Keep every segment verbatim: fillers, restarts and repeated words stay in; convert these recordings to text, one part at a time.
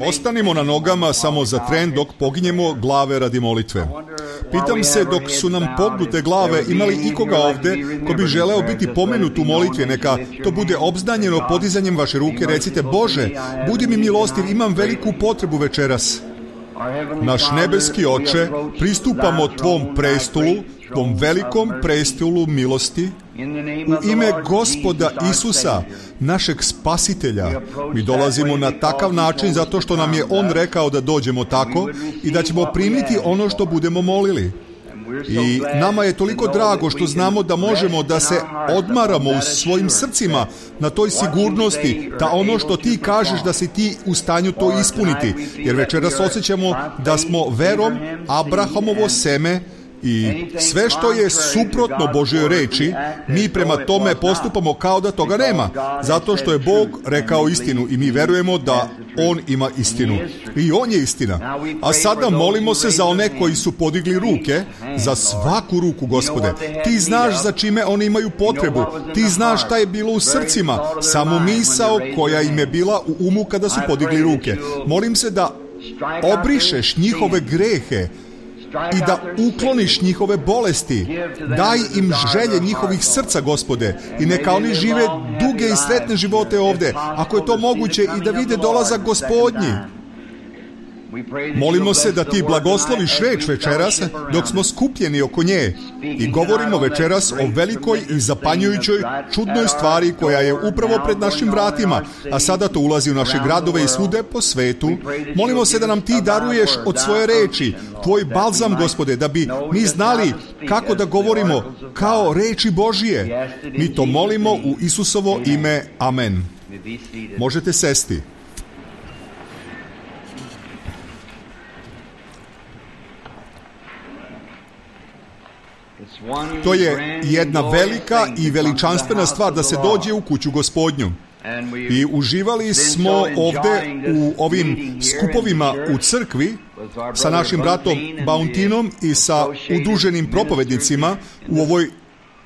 Ostanimo na nogama samo za tren dok poginjemo glave radi molitve. Pitam se, dok su nam pognute glave, ima li ikoga ovde ko bi želeo biti pomenut u molitvi? Neka to bude obznanjeno podizanjem vaše ruke. Recite: Bože, budi mi milostiv, imam veliku potrebu večeras. Naš nebeski Oče, pristupamo Tvom prestolu, Tvom velikom prestolu milosti, u ime Gospoda Isusa, našeg Spasitelja. Mi dolazimo na takav način zato što nam je On rekao da dođemo tako i da ćemo primiti ono što budemo molili. I nama je toliko drago što znamo da možemo da se odmaramo u svojim srcima na toj sigurnosti, da ono što ti kažeš da si ti u stanju to ispuniti. Jer večeras osjećamo da smo verom Abrahamovo seme i sve što je suprotno Božjoj reči, mi prema tome postupamo kao da toga nema, zato što je Bog rekao istinu i mi verujemo da On ima istinu. I On je istina. A sada molimo se za one koji su podigli ruke, za svaku ruku, Gospode. Ti znaš za čime oni imaju potrebu. Ti znaš šta je bilo u srcima, samo misao koja im je bila u umu kada su podigli ruke. Molim se da obrišeš njihove grehe i da ukloniš njihove bolesti. Daj im želje njihovih srca, Gospode, i neka oni žive duge i sretne živote ovde, ako je to moguće, i da vide dolazak Gospodnji. Molimo se da ti blagosloviš reč večeras dok smo skupljeni oko nje i govorimo večeras o velikoj i zapanjujućoj čudnoj stvari koja je upravo pred našim vratima, a sada to ulazi u naše gradove i svude po svetu. Molimo se da nam ti daruješ od svoje reči, tvoj balzam, Gospode, da bi mi znali kako da govorimo kao reči Božije. Mi to molimo u Isusovo ime. Amen. Možete sesti. To je jedna velika i veličanstvena stvar da se dođe u kuću Gospodnju. I uživali smo ovde u ovim skupovima u crkvi sa našim bratom Bountinom i sa udruženim propovednicima u ovoj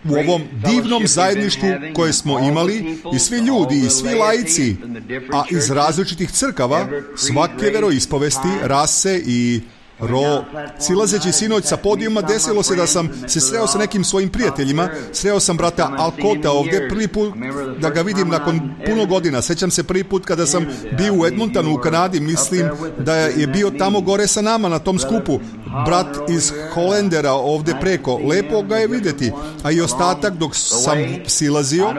u ovom divnom zajedništvu koje smo imali, i svi ljudi i svi laici, a iz različitih crkava, svake veroispovesti, rase i ro. Silazeći sinoć sa podijuma, desilo se da sam se sreo sa nekim svojim prijateljima. Sreo sam brata Alkota ovdje, prvi put da ga vidim nakon puno godina. Sećam se prvi put kada sam bio u Edmontonu u Kanadi, mislim da je bio tamo gore sa nama na tom skupu. Brat iz Holendera ovdje preko, lepo ga je vidjeti, a i ostatak dok sam silazio.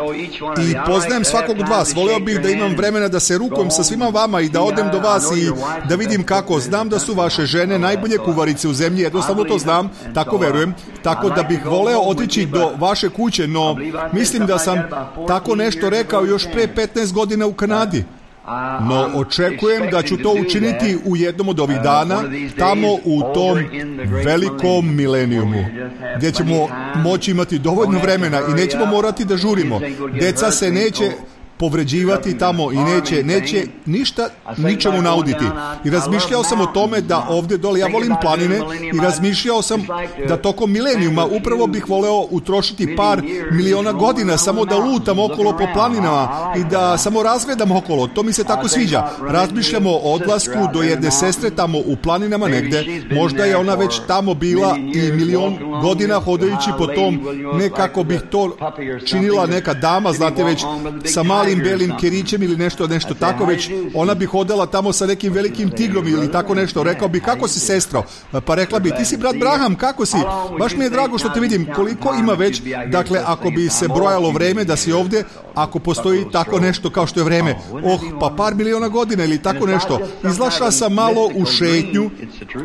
I poznajem svakog od vas, voleo bih da imam vremena da se rukujem sa svima vama i da odem do vas i da vidim kako. Znam da su vaše žene najbolje kuvarice u zemlji, jednostavno to znam, tako verujem, tako da bih voleo otići do vaše kuće, no mislim da sam tako nešto rekao još pre petnaest godina u Kanadi. No očekujem da ću to učiniti u jednom od ovih dana, tamo u tom velikom milenijumu, gdje ćemo moći imati dovoljno vremena i nećemo morati da žurimo. Deca se neće povređivati tamo i neće, neće ništa ničemu nauditi. I razmišljao sam o tome da ovdje dole, ja volim planine, i razmišljao sam da tokom milenijuma upravo bih voleo utrošiti par miliona godina samo da lutam okolo po planinama i da samo razgledam okolo. To mi se tako sviđa. Razmišljamo o odlasku do jedne sestre tamo u planinama negde. Možda je ona već tamo bila i milion godina hodajući po tom, ne kako bih to činila neka dama, znate, već sa malim belim kerićem ili nešto, nešto tako, već ona bi hodala tamo sa nekim velikim tigrom ili tako nešto. Rekao bi: kako si, sestro? Pa rekla bi: ti si brat Braham, kako si? Baš mi je drago što te vidim. Koliko ima već, dakle, ako bi se brojalo vreme da si ovdje, ako postoji tako nešto kao što je vreme, oh, pa par miliona godina ili tako nešto. Izlašla sam malo u šetnju.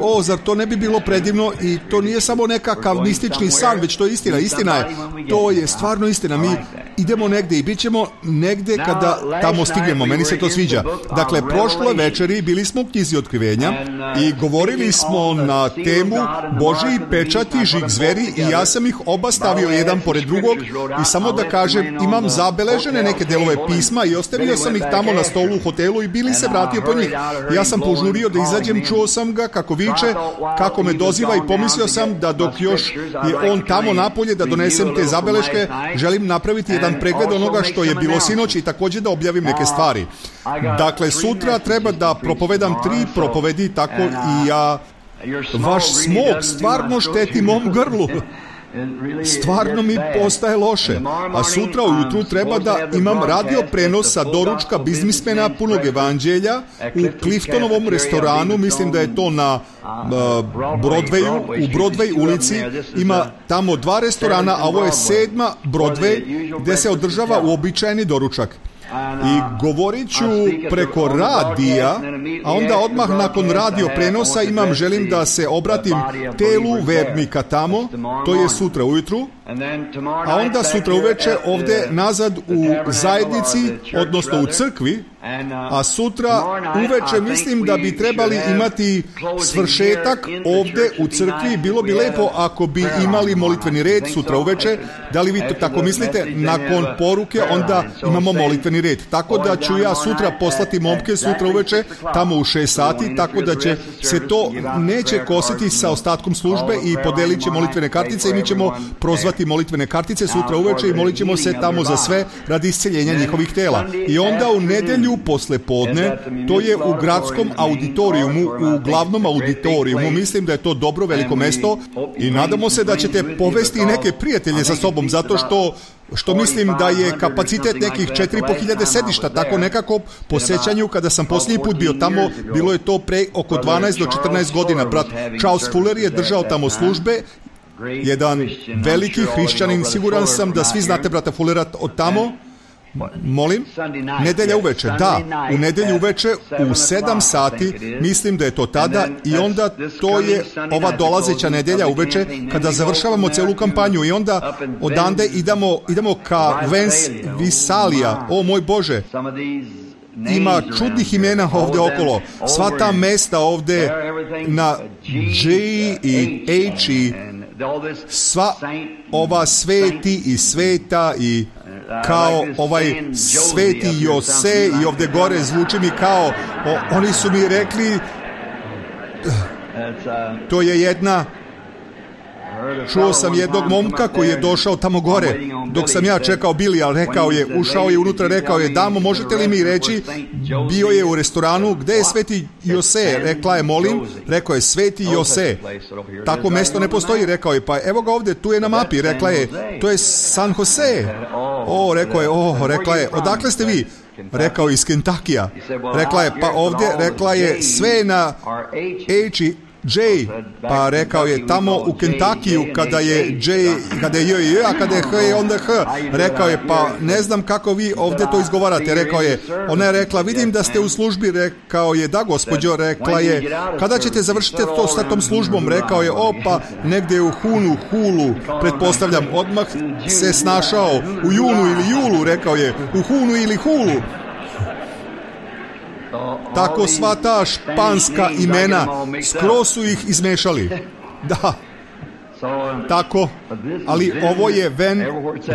O, zar to ne bi bilo predivno? I to nije samo nekakav mistični san, već to je istina. Istina je. To je stvarno istina. Mi idemo negdje i bit ćemo negdje kada tamo stignemo. Meni se to sviđa. Dakle, prošle večeri bili smo u knjizi Otkrivenja i govorili smo na temu Božji pečati, žig zveri, i ja sam ih oba stavio jedan pored drugog i samo da kažem, imam zabeležene neke delove pisma i ostavio sam ih tamo na stolu u hotelu i Bili se vratio po njih. Ja sam požurio da izađem, čuo sam ga kako viče, kako me doziva i pomislio sam da dok još je on tamo napolje da donesem te zabeleške, želim napraviti jedan jedan pregled onoga što je bilo sinoć i također da objavim neke stvari. Dakle, sutra treba da propovedam tri propovedi, tako i ja, vaš smog stvarno šteti mom grlu. Stvarno mi postaje loše. A sutra ujutru treba da imam radio prenos sa doručka biznismena punog evanđelja u Cliftonovom restoranu, mislim da je to na uh, Broadwayu, u Broadway ulici. Ima tamo dva restorana, a ovo je sedma Broadway gdje se održava uobičajeni doručak. I govorit ću preko radija, a onda odmah nakon radio prenosa imam, želim da se obratim telu vernika tamo, to je sutra ujutru, a onda sutra uveče ovdje nazad u zajednici, odnosno u crkvi, a sutra uveče mislim da bi trebali imati svršetak ovdje u crkvi. Bilo bi lepo ako bi imali molitveni red sutra uveče. Da li vi to tako mislite? Nakon poruke onda imamo molitveni red. Tako da ću ja sutra poslati momke sutra uveče tamo u šest sati, tako da će se to neće kositi sa ostatkom službe i podelit će molitvene kartice i mi ćemo prozvati molitvene kartice sutra uveče i molit ćemo se tamo za sve radi isceljenja njihovih tela. I onda u nedelju posle podne, to je u gradskom auditorijumu, u glavnom auditorijumu, mislim da je to dobro veliko mesto i nadamo se da ćete povesti neke prijatelje sa sobom, zato što što mislim da je kapacitet nekih četiri i po hiljade sedišta, tako nekako po sećanju kada sam posljednji put bio tamo, bilo je to pre oko dvanaest do četrnaest godina. Brat Charles Fuller je držao tamo službe, jedan veliki hrišćanin, siguran sam da svi znate brata Fullera od tamo. Molim? Nedelja uveče, da, u nedelju uveče u sedam sati, mislim da je to tada, i onda to je ova dolazeća nedelja uveče kada završavamo celu kampanju i onda odande idemo, idemo ka Vance Visalia. O moj Bože, ima čudnih imena ovdje okolo, sva ta mesta ovdje na J i H i sva ova sveti i sveta i kao ovaj sveti Jose i ovdje gore zvuči mi kao, o, oni su mi rekli, to je jedna, čuo sam jednog momka koji je došao tamo gore, dok sam ja čekao Billy, ali rekao je, ušao je unutra, rekao je, damo, možete li mi reći, bio je u restoranu, gde je sveti Jose, rekla je, molim, rekao je, sveti Jose, tako mesto ne postoji, rekao je, pa evo ga ovdje, tu je na mapi, rekla je, to je San Jose, o, rekao je, o, rekla je, odakle ste vi? Rekao je, iz Kentakija, rekla je, pa ovdje, rekla je, sve na H i J, pa rekao je tamo u Kentakiju kada je J, kada je J, J, a kada je H je onda H, rekao je, pa ne znam kako vi ovdje to izgovarate, rekao je, ona je rekla, vidim da ste u službi, rekao je, da gospođo, rekla je, kada ćete završiti to sa tom službom, rekao je, o pa negdje u Hunu, Hulu, pretpostavljam, odmah se snašao, u Junu ili Julu, rekao je, u Hunu ili Hulu. Tako sva ta španska imena, skroz su ih izmešali. Da, tako, ali ovo je Ven,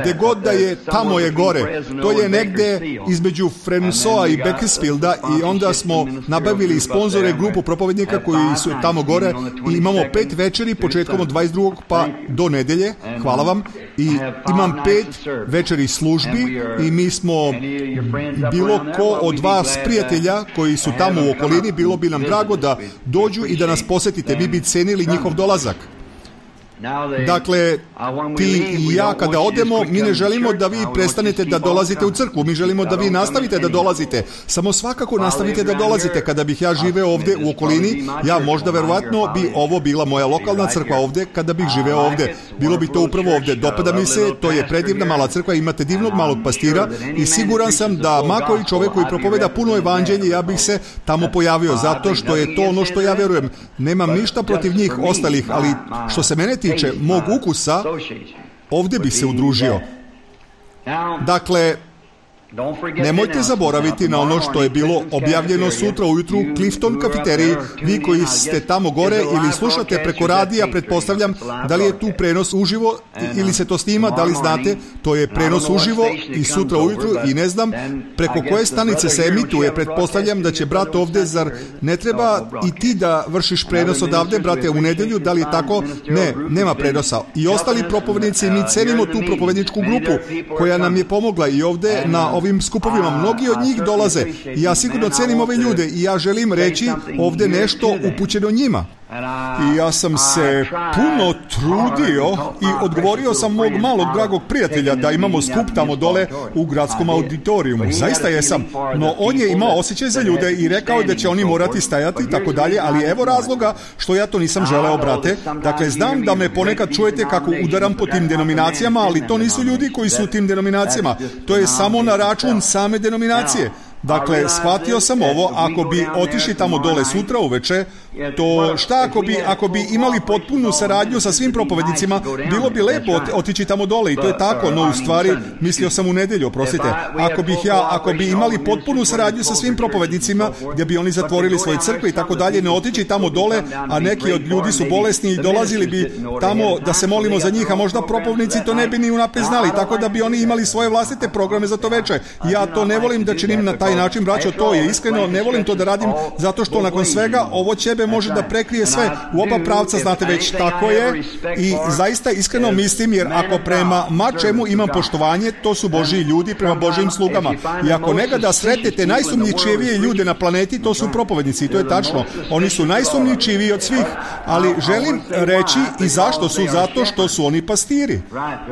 gdje god da je, tamo je gore. To je negdje između Fremsoa i Beaconsfielda i onda smo nabavili sponzore, grupu propovednika koji su tamo gore i imamo pet večeri početkom od dvadeset drugog pa do nedelje, hvala vam, i imam pet večeri službi i mi smo, bilo ko od vas prijatelja koji su tamo u okolini, bilo bi nam drago da dođu i da nas posjetite, mi bi cenili njihov dolazak. Dakle, ti i ja kada odemo, mi ne želimo da vi prestanete da dolazite u crkvu, mi želimo da vi nastavite da dolazite, samo svakako nastavite da dolazite. Kada bih ja živeo ovdje u okolini, ja možda verovatno bi ovo bila moja lokalna crkva ovdje, kada bih živeo ovdje, bilo bi to upravo ovdje. Dopada mi se, to je predivna mala crkva, imate divnog malog pastira i siguran sam da makoj čovjek koji propoveda puno evanđelje, ja bih se tamo pojavio, zato što je to ono što ja verujem. Nemam ništa protiv njih ostalih, ali što se mene tiče, mog ukusa, ovdje bih se udružio. Dakle, Nemojte zaboraviti na ono što je bilo objavljeno sutra ujutru u Clifton kafeteriji. Vi koji ste tamo gore ili slušate preko radija, pretpostavljam da li je tu prenos uživo ili se to snima, da li znate, to je prenos uživo i sutra ujutru i ne znam preko koje stanice se emituje. Pretpostavljam da će brat ovde, zar ne treba i ti da vršiš prenos odavde, brate, u nedelju, da li je tako? Ne, nema prenosa. I ostali propovednici, mi cenimo tu propovedničku grupu koja nam je pomogla i ovde na ovim skupovima. Mnogi od njih dolaze i ja sigurno cenim ove ljude i ja želim reći ovde nešto upućeno njima. I ja sam se puno trudio i odgovorio sam mog malog dragog prijatelja da imamo skup tamo dole u gradskom auditorijumu. Zaista jesam, no on je imao osjećaj za ljude i rekao da će oni morati stajati i tako dalje, ali evo razloga što ja to nisam želeo, brate. Dakle, znam da me ponekad čujete kako udaram po tim denominacijama, ali to nisu ljudi koji su u tim denominacijama. To je samo na račun same denominacije. Dakle, shvatio sam ovo, ako bi otišli tamo dole sutra uveče, to šta ako bi, ako bi imali potpunu saradnju sa svim propovednicima, bilo bi lepo otići tamo dole i to je tako, no u stvari, mislio sam u nedelju, oprostite, ako bih ja, ako bi imali potpunu saradnju sa svim propovednicima, gdje bi oni zatvorili svoje crkve i tako dalje, ne otići tamo dole, a neki od ljudi su bolesni i dolazili bi tamo da se molimo za njih, a možda propovednici to ne bi ni unaprijed znali, tako da bi oni imali svoje vlastite programe za to veče. Ja to ne volim da činim na taj način, braćo, to je iskreno, ne volim to da radim zato što nakon svega ovo ćebe može da prekrije sve u oba pravca, znate već, tako je, i zaista iskreno mislim, jer ako prema mačemu imam poštovanje, to su Božji ljudi prema Božjim slugama, i ako nega da sretnete najsumnjičivije ljude na planeti, to su propovednici, i to je tačno, oni su najsumnjičiviji od svih, ali želim reći i zašto su, zato što su oni pastiri,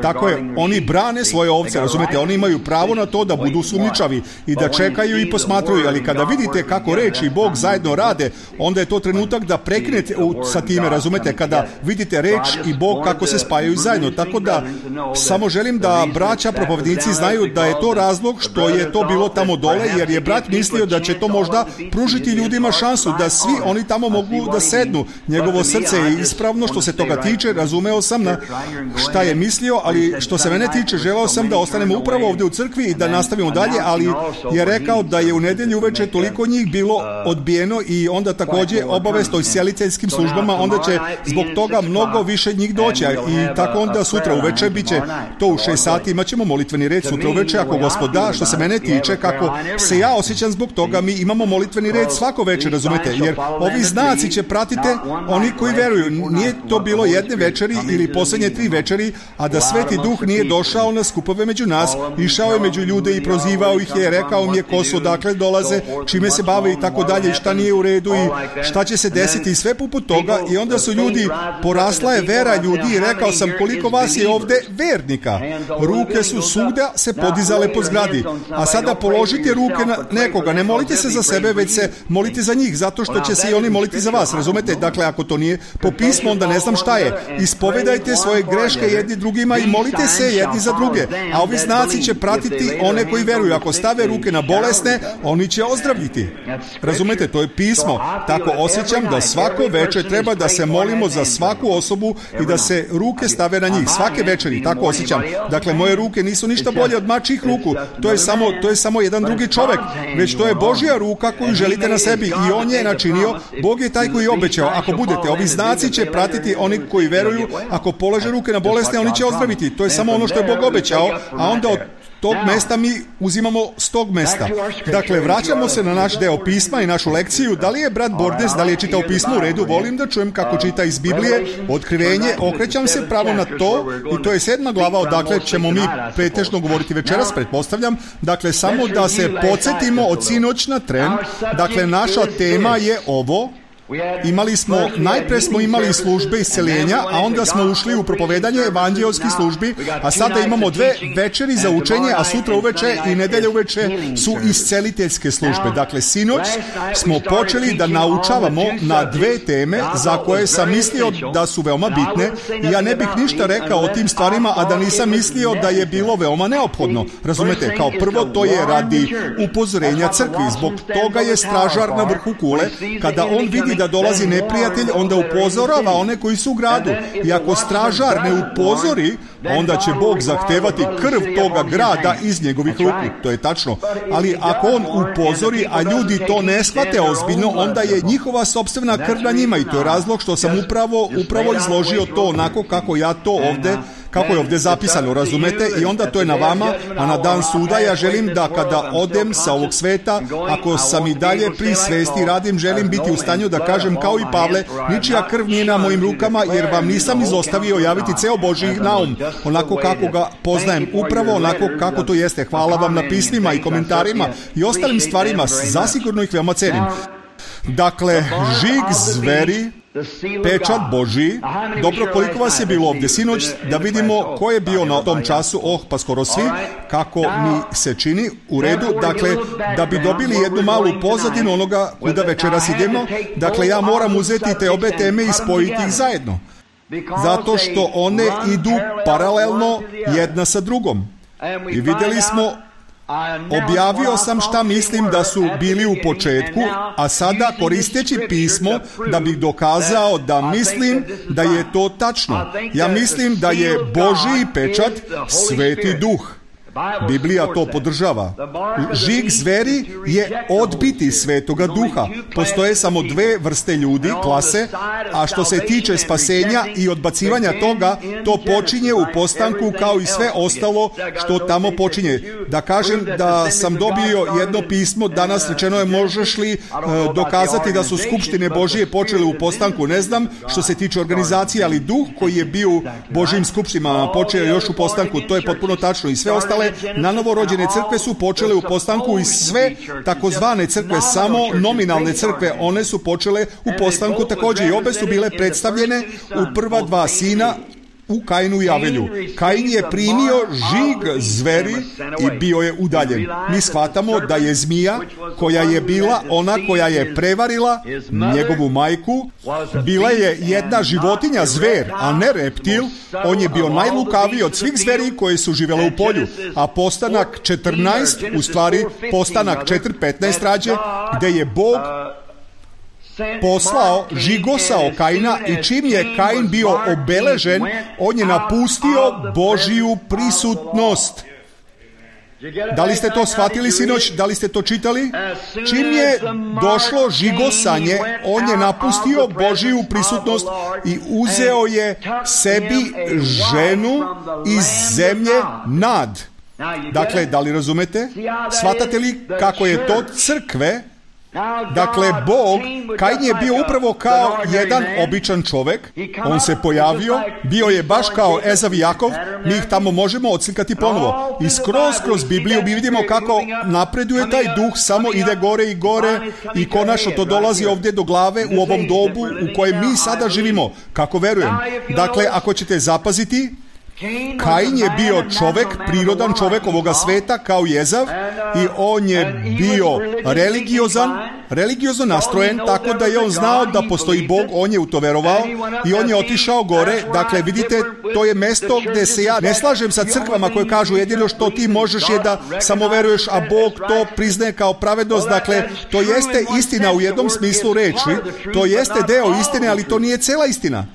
tako je, oni brane svoje ovce, razumete, oni imaju pravo na to da budu sumnjičavi i da čekaju i posmatruju, ali kada vidite kako reč i Bog zajedno rade, onda je to trenutak da prekinete sa time, razumete, kada vidite reč i Bog kako se spajaju zajedno, tako da samo želim da braća propovednici znaju da je to razlog što je to bilo tamo dole, jer je brat mislio da će to možda pružiti ljudima šansu da svi oni tamo mogu da sednu. Njegovo srce je ispravno što se toga tiče, razumeo sam na šta je mislio, ali što se mene tiče, želeo sam da ostanemo upravo ovdje u crkvi i da nastavimo dalje, ali je rekao da je u nedelju uveče toliko njih bilo odbijeno i onda također obavest o sjeliteljskim službama, onda će zbog toga mnogo više njih doći i tako onda sutra uveče bit će to u šest sati, imat ćemo molitveni red sutra uveče ako Gospod da. Što se mene tiče, kako se ja osjećam zbog toga, mi imamo molitveni red svako večer, razumete, jer ovi znaci će pratite oni koji veruju. Nije to bilo jedne večeri ili posljednje tri večeri, a da Sveti Duh nije došao na skupove među nas, išao je među ljude i prozivao ih je, rekao mi je ko su, odakle dolaze, čime se bave i tako dalje, i šta nije u redu i šta će se desiti i sve poput toga, i onda su ljudi, porasla je vera ljudi i rekao sam koliko vas je ovde vernika. Ruke su svuda se podizale po zgradi, a sada položite ruke na nekoga, ne molite se za sebe, već se molite za njih, zato što će se i oni moliti za vas, razumete? Dakle, ako to nije po pismu, onda ne znam šta je. Ispovedajte svoje greške jedni drugima i molite se jedni za druge, a ovi znaci će pratiti one koji veruju. Ako stave ruke na bolesne, oni će ozdraviti. Razumete, to je pismo. Tako osjećam da svako večer treba da se molimo za svaku osobu i da se ruke stave na njih. Svake večeri, tako osjećam. Dakle, moje ruke nisu ništa bolje od mačjih ruku. To je samo, to je samo jedan drugi čovjek. Već to je Božja ruka koju želite na sebi i on je načinio. Bog je taj koji je obećao. Ako budete, ovi znaci će pratiti oni koji veruju. Ako polože ruke na bolesne, oni će ozdraviti. To je samo ono što je Bog obećao, a onda od tog mesta mi uzimamo s tog mesta. Dakle, vraćamo se na naš deo pisma i našu lekciju. Da li je brat Bordes, da li je čitao pismo u redu? Volim da čujem kako čita iz Biblije. Otkrivenje, okrećam se pravo na to i to je sedma glava, odakle ćemo mi pretežno govoriti večeras, pretpostavljam. Dakle, samo da se podsjetimo od sinoć na tren. Dakle, naša tema je ovo. Imali smo, najpre smo imali službe isceljenja, a onda smo ušli u propovedanje evanđeoskih službi, a sada imamo dve večeri za učenje, a sutra uveče i nedelje uveče su isceliteljske službe. Dakle, sinoć smo počeli da naučavamo na dve teme za koje sam mislio da su veoma bitne i ja ne bih ništa rekao o tim stvarima, a da nisam mislio da je bilo veoma neophodno. Razumete, kao prvo to je radi upozorenja crkvi, zbog toga je stražar na vrhu kule, kada on vidi vidi da dolazi neprijatelj, onda upozorava one koji su u gradu. I ako stražar ne upozori, onda će Bog zahtevati krv toga grada iz njegovih ruku. To je tačno. Ali ako on upozori, a ljudi to ne shvate ozbiljno, onda je njihova sopstvena krv na njima. I to je razlog što sam upravo, upravo izložio to onako kako ja to ovde kako je ovdje zapisano, razumete? I onda to je na vama, a na dan suda ja želim da kada odem sa ovog sveta, ako sam i dalje pri svesti i radim, želim biti u stanju da kažem kao i Pavle, ničija krv nije na mojim rukama, jer vam nisam izostavio javiti ceo Božji naum, onako kako ga poznajem, upravo onako kako to jeste. Hvala vam na pismima i komentarima i ostalim stvarima, zasigurno ih veoma cenim. Dakle, žig zveri, pečat Božji. Dobro, koliko vas je bilo ovdje sinoć, da vidimo ko je bio na tom času? Oh, pa skoro svi, kako mi se čini, u redu. Dakle, da bi dobili jednu malu pozadinu onoga kuda večeras idemo, dakle, ja moram uzeti te obe teme i spojiti ih zajedno. Zato što one idu paralelno jedna sa drugom. I vidjeli smo, objavio sam šta mislim da su bili u početku, a sada koristeći pismo da bih dokazao da mislim da je to tačno. Ja mislim da je Božji pečat Sveti Duh. Biblija to podržava. Žig zveri je odbiti Svetoga Duha. Postoje samo dve vrste ljudi, klase, a što se tiče spasenja i odbacivanja toga, to počinje u postanku kao i sve ostalo što tamo počinje. Da kažem da sam dobio jedno pismo, danas rečeno je možeš li uh, dokazati da su skupštine Božije počele u postanku, ne znam, što se tiče organizacije, ali Duh koji je bio u Božjim skupštinama počeo još u postanku, to je potpuno tačno i sve ostale na novorođene crkve su počele u postanku i sve takozvane crkve, samo nominalne crkve, one su počele u postanku također i obe su bile predstavljene u prva dva sina u Kainu i Avelju. Kain je primio žig zveri i bio je udaljen. Mi shvatamo da je zmija, koja je bila ona koja je prevarila njegovu majku, bila je jedna životinja, zver, a ne reptil. On je bio najlukaviji od svih zveri koje su živjele u polju. A postanak četrnaest, u stvari postanak četiri petnaest rađe, gde je Bog poslao, žigosao Kaina i čim je Kain bio obeležen, on je napustio Božiju prisutnost. Da li ste to shvatili sinoć? Da li ste to čitali? Čim je došlo žigosanje, on je napustio Božiju prisutnost i uzeo je sebi ženu iz zemlje Nad. Dakle, da li razumete? Shvatate li kako je to crkve? Dakle, Bog, Kain je bio upravo kao jedan običan čovjek, on se pojavio, bio je baš kao Ezav i Jakov, mi ih tamo možemo odslikati ponovo. I skroz kroz Bibliju mi vidimo kako napreduje taj duh, samo ide gore i gore i konačno to dolazi ovdje do glave u ovom dobu u kojem mi sada živimo, kako verujem. Dakle, ako ćete zapaziti, Kain je bio čovjek, prirodan čovjek ovoga sveta kao i Ezav i on je bio religiozan, religiozno nastrojen, tako da je on znao da postoji Bog, on je u to verovao i on je otišao gore. Dakle, vidite, to je mesto gdje se ja ne slažem sa crkvama koje kažu jedino što ti možeš je da samo veruješ, a Bog to priznaje kao pravednost. Dakle, to jeste istina u jednom smislu reči, to jeste deo istine, ali to nije cela istina.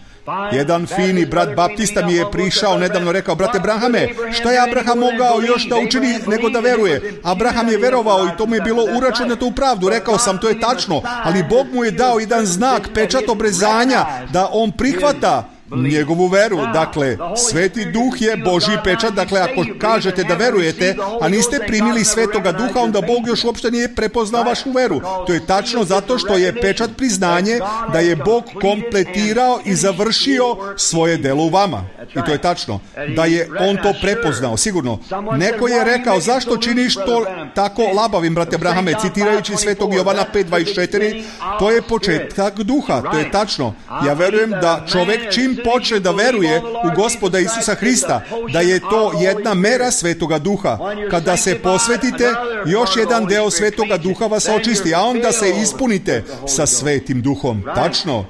Jedan fini brat baptista mi je prišao nedavno, rekao, brate Abrahame, šta je Abraham mogao još da učini nego da veruje? Abraham je verovao i to mu je bilo uračunato u pravdu. Rekao sam, to je tačno, ali Bog mu je dao jedan znak, pečat obrezanja, da on prihvata njegovu veru. Dakle, Sveti Duh je Božji pečat. Dakle, ako kažete da verujete, a niste primili Svetoga Duha, onda Bog još uopšte nije prepoznao vašu veru. To je tačno zato što je pečat priznanje da je Bog kompletirao i završio svoje delo u vama. I to je tačno. Da je on to prepoznao, sigurno. Neko je rekao, zašto činiš to tako labavim, brate Abrahame, citirajući Svetog Jovana pet dvadeset četiri, to je početak duha. To je tačno. Ja verujem da čovjek čim počne da veruje u Gospoda Isusa Hrista, da je to jedna mera Svetoga Duha. Kada se posvetite, još jedan deo Svetoga Duha vas očisti, a onda se ispunite sa Svetim Duhom. Tačno.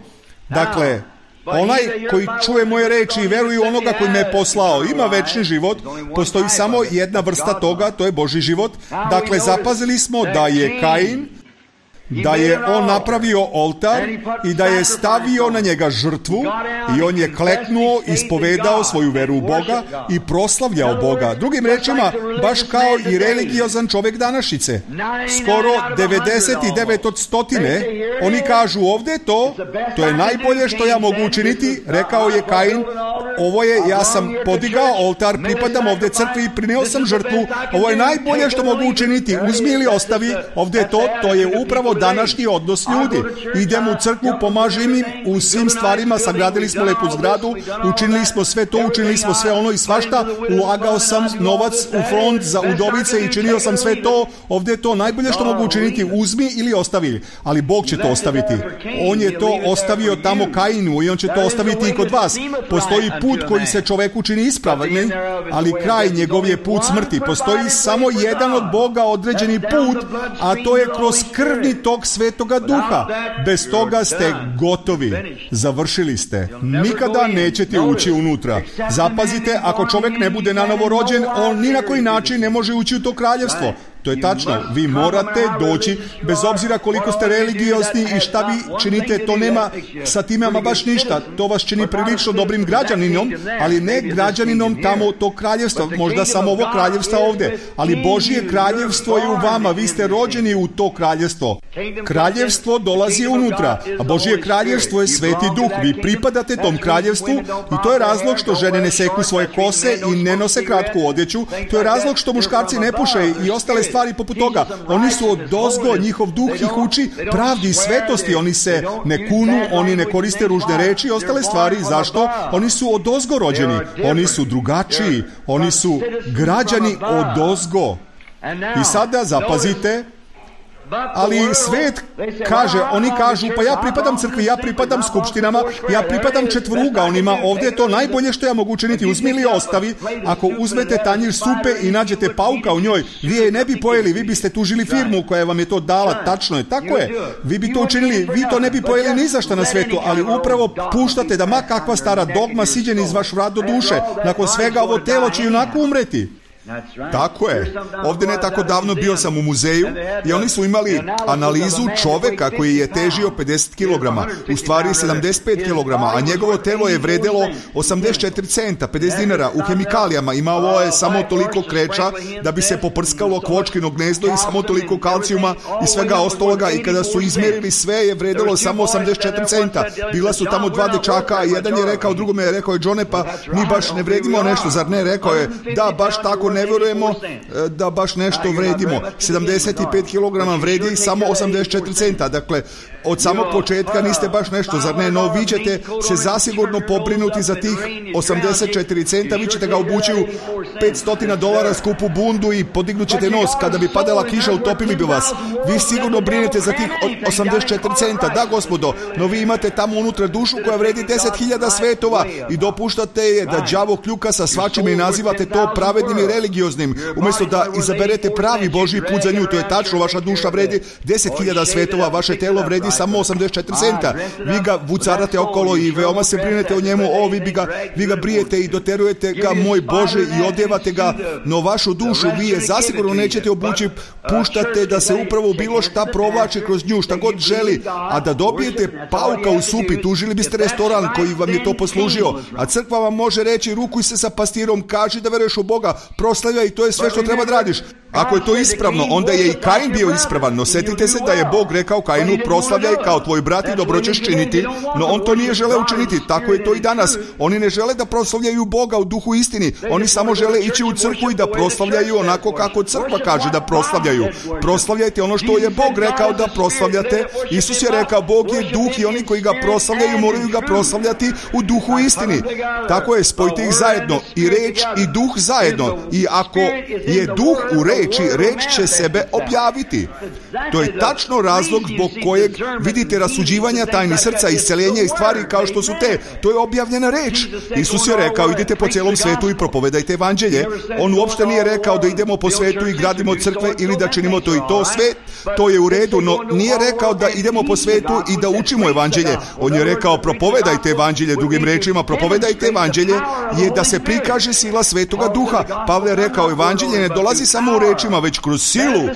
Dakle, onaj koji čuje moje reči i veruje u onoga koji me je poslao, ima večni život. Postoji samo jedna vrsta toga, to je Božji život. Dakle, zapazili smo da je Kain da je on napravio oltar i da je stavio na njega žrtvu i on je kleknuo, ispovedao svoju veru u Boga i proslavljao Boga. Drugim rečima, baš kao i religiozan čovjek današnjice. Skoro devedeset devet od stotine, oni kažu ovdje to, to je najbolje što ja mogu učiniti, rekao je Kain, ovo je, ja sam podigao oltar, pripadam ovdje crkvi i prineo sam žrtvu, ovo je najbolje što mogu učiniti, uzmi ili ostavi, ovdje je to, to je upravo današnji odnos ljudi. Idemo u crkvu, pomažem im u svim stvarima, sagradili smo lepu zgradu, učinili smo sve to, učinili smo sve ono i svašta, ulagao sam novac u fond za udovice i činio sam sve to, ovdje je to najbolje što mogu učiniti, uzmi ili ostavi. Ali Bog će to ostaviti. On je to ostavio tamo Kainu i on će to ostaviti i kod vas. Postoji put koji se čoveku čini ispravni, ali kraj njegov je put smrti. Postoji samo jedan od Boga određeni put, a to je kroz krvni tok Svetoga Duha. Bez toga ste gotovi. Završili ste. Nikada nećete ući unutra. Zapazite, ako čovjek ne bude nanovo rođen, on ni na koji način ne može ući u to kraljevstvo. To je tačno. Vi morate doći, bez obzira koliko ste religiozni i šta vi činite, to nema sa time ama baš ništa. To vas čini prilično dobrim građaninom, ali ne građaninom tamo tog kraljevstva. Možda samo ovo kraljevstva ovdje. Ali Božje kraljevstvo je u vama. Vi ste rođeni u to kraljevstvo. Kraljevstvo dolazi unutra, a Božje kraljevstvo je Sveti Duh. Vi pripadate tom kraljevstvu i to je razlog što žene ne seku svoje kose i ne nose kratku odjeću. To je razlog što muškarci ne puše i ostale stvari poput toga. Oni su odozgo, njihov duh ih uči pravdi i svetosti. Oni se ne kunu, oni ne koriste ružne reči i ostale stvari. Zašto? Oni su odozgo rođeni. Oni su drugačiji. Oni su građani odozgo. I sada zapazite, ali svet kaže, oni kažu, pa ja pripadam crkvi, ja pripadam skupštinama, ja pripadam četvorugaonima, ovdje je to najbolje što ja mogu učiniti, uzmi ili ostavi. Ako uzmete tanjir supe i nađete pauka u njoj, vi je ne bi pojeli, vi biste tužili firmu koja vam je to dala, tačno je, tako je, vi bi to učinili, vi to ne bi pojeli ni za šta na svetu, ali upravo puštate da ma kakva stara dogma siđeni iz vaš vrat do duše, nakon svega ovo telo će onako umreti. Tako je. Ovdje ne tako davno bio sam u muzeju i oni su imali analizu čoveka koji je težio pedeset kilograma, u stvari sedamdeset pet kilograma, a njegovo telo je vredelo osamdeset četiri centa, pedeset dinara u hemikalijama. Imalo je samo toliko kreča da bi se poprskalo kvočkino gnezdo i samo toliko kalcijuma i svega ostaloga, i kada su izmjerili sve je vredelo samo osamdeset četiri centa. Bila su tamo dva dečaka, a jedan je rekao, drugome je rekao, je Johne, pa mi baš ne vredimo nešto, zar ne? Rekao je, da, baš tako, ne vjerujemo da baš nešto vredimo. sedamdeset pet kilograma vredi samo osamdeset četiri centa. Dakle, od samog početka niste baš nešto, zar ne? No, vi ćete se zasigurno pobrinuti za tih osamdeset četiri centa, vi ćete ga obući u petsto dolara skupu bundu i podignut ćete nos. Kada bi padala kiša, utopili bi vas. Vi sigurno brinete za tih osamdeset četiri centa, da gospodo, no vi imate tamo unutra dušu koja vredi deset hiljada svetova i dopuštate je da đavo kljuka sa svačime i nazivate to pravednim i religioznim, umjesto da izaberete pravi Božji put za nju. To je tačno, vaša duša vredi deset hiljada svetova, vaše telo vredi samo osamdeset četiri centa. Vi ga vucarate okolo i veoma se brinete o njemu, o, vi, bi ga, vi ga brijete i doterujete ga, moj Bože, i odjevate ga, no vašu dušu vi je zasigurno nećete obući, puštate da se upravo bilo šta provlači kroz nju, šta god želi, a da dobijete pauka u supi, tužili biste restoran koji vam je to poslužio, a crkva vam može reći, rukuj se sa pastirom, kaži da veruješ u Boga, proslavljaj, i to je sve što treba da radiš. Ako je to ispravno, onda je i Kain bio ispravan, no setite se da je Bog rekao Kainu, proslavljaj kao tvoj brat i dobro ćeš činiti, no on to nije želeo učiniti. Tako je to i danas. Oni ne žele da proslavljaju Boga u duhu istini, oni samo žele ići u crkvu i da proslavljaju onako kako crkva kaže da proslavljaju. Proslavljajte ono što je Bog rekao da proslavljate. Isus je rekao, Bog je duh i oni koji ga proslavljaju moraju ga proslavljati u duhu istini. Tako je, spojite ih zajedno, i reč i duh zajedno, i ako je duh u reči, reč će sebe objaviti. To je tačno razlog zbog kojeg vidite rasuđivanja tajni srca, isceljenja i stvari kao što su te. To je objavljena reč. Isus je rekao, idite po cijelom svetu i propovedajte evanđelje. On uopšte nije rekao da idemo po svetu i gradimo crkve ili da činimo to i to. Sve to je u redu, no nije rekao da idemo po svetu i da učimo evanđelje. On je rekao, propovedajte evanđelje. Drugim rečima, propovedajte evanđelje je da se prikaže sila Svetoga Duha. Pavle Pavle rekao, evanđelje ne dolazi samo u rečima, već kroz silu,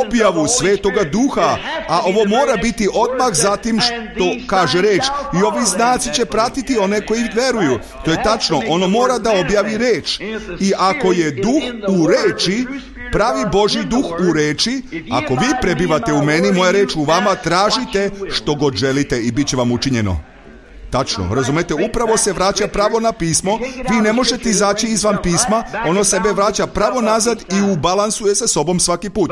objavu Svetoga Duha, a ovo mora biti odmah zatim što kaže reč. I ovi znaci će pratiti one koji veruju. To je tačno, ono mora da objavi reč. I ako je duh u reči, pravi Božji duh u reči, ako vi prebivate u meni, moja reč u vama, tražite što god želite i bit će vam učinjeno. Tačno, razumete, upravo se vraća pravo na pismo, vi ne možete izaći izvan pisma, ono sebe vraća pravo nazad i ubalansuje se sobom svaki put.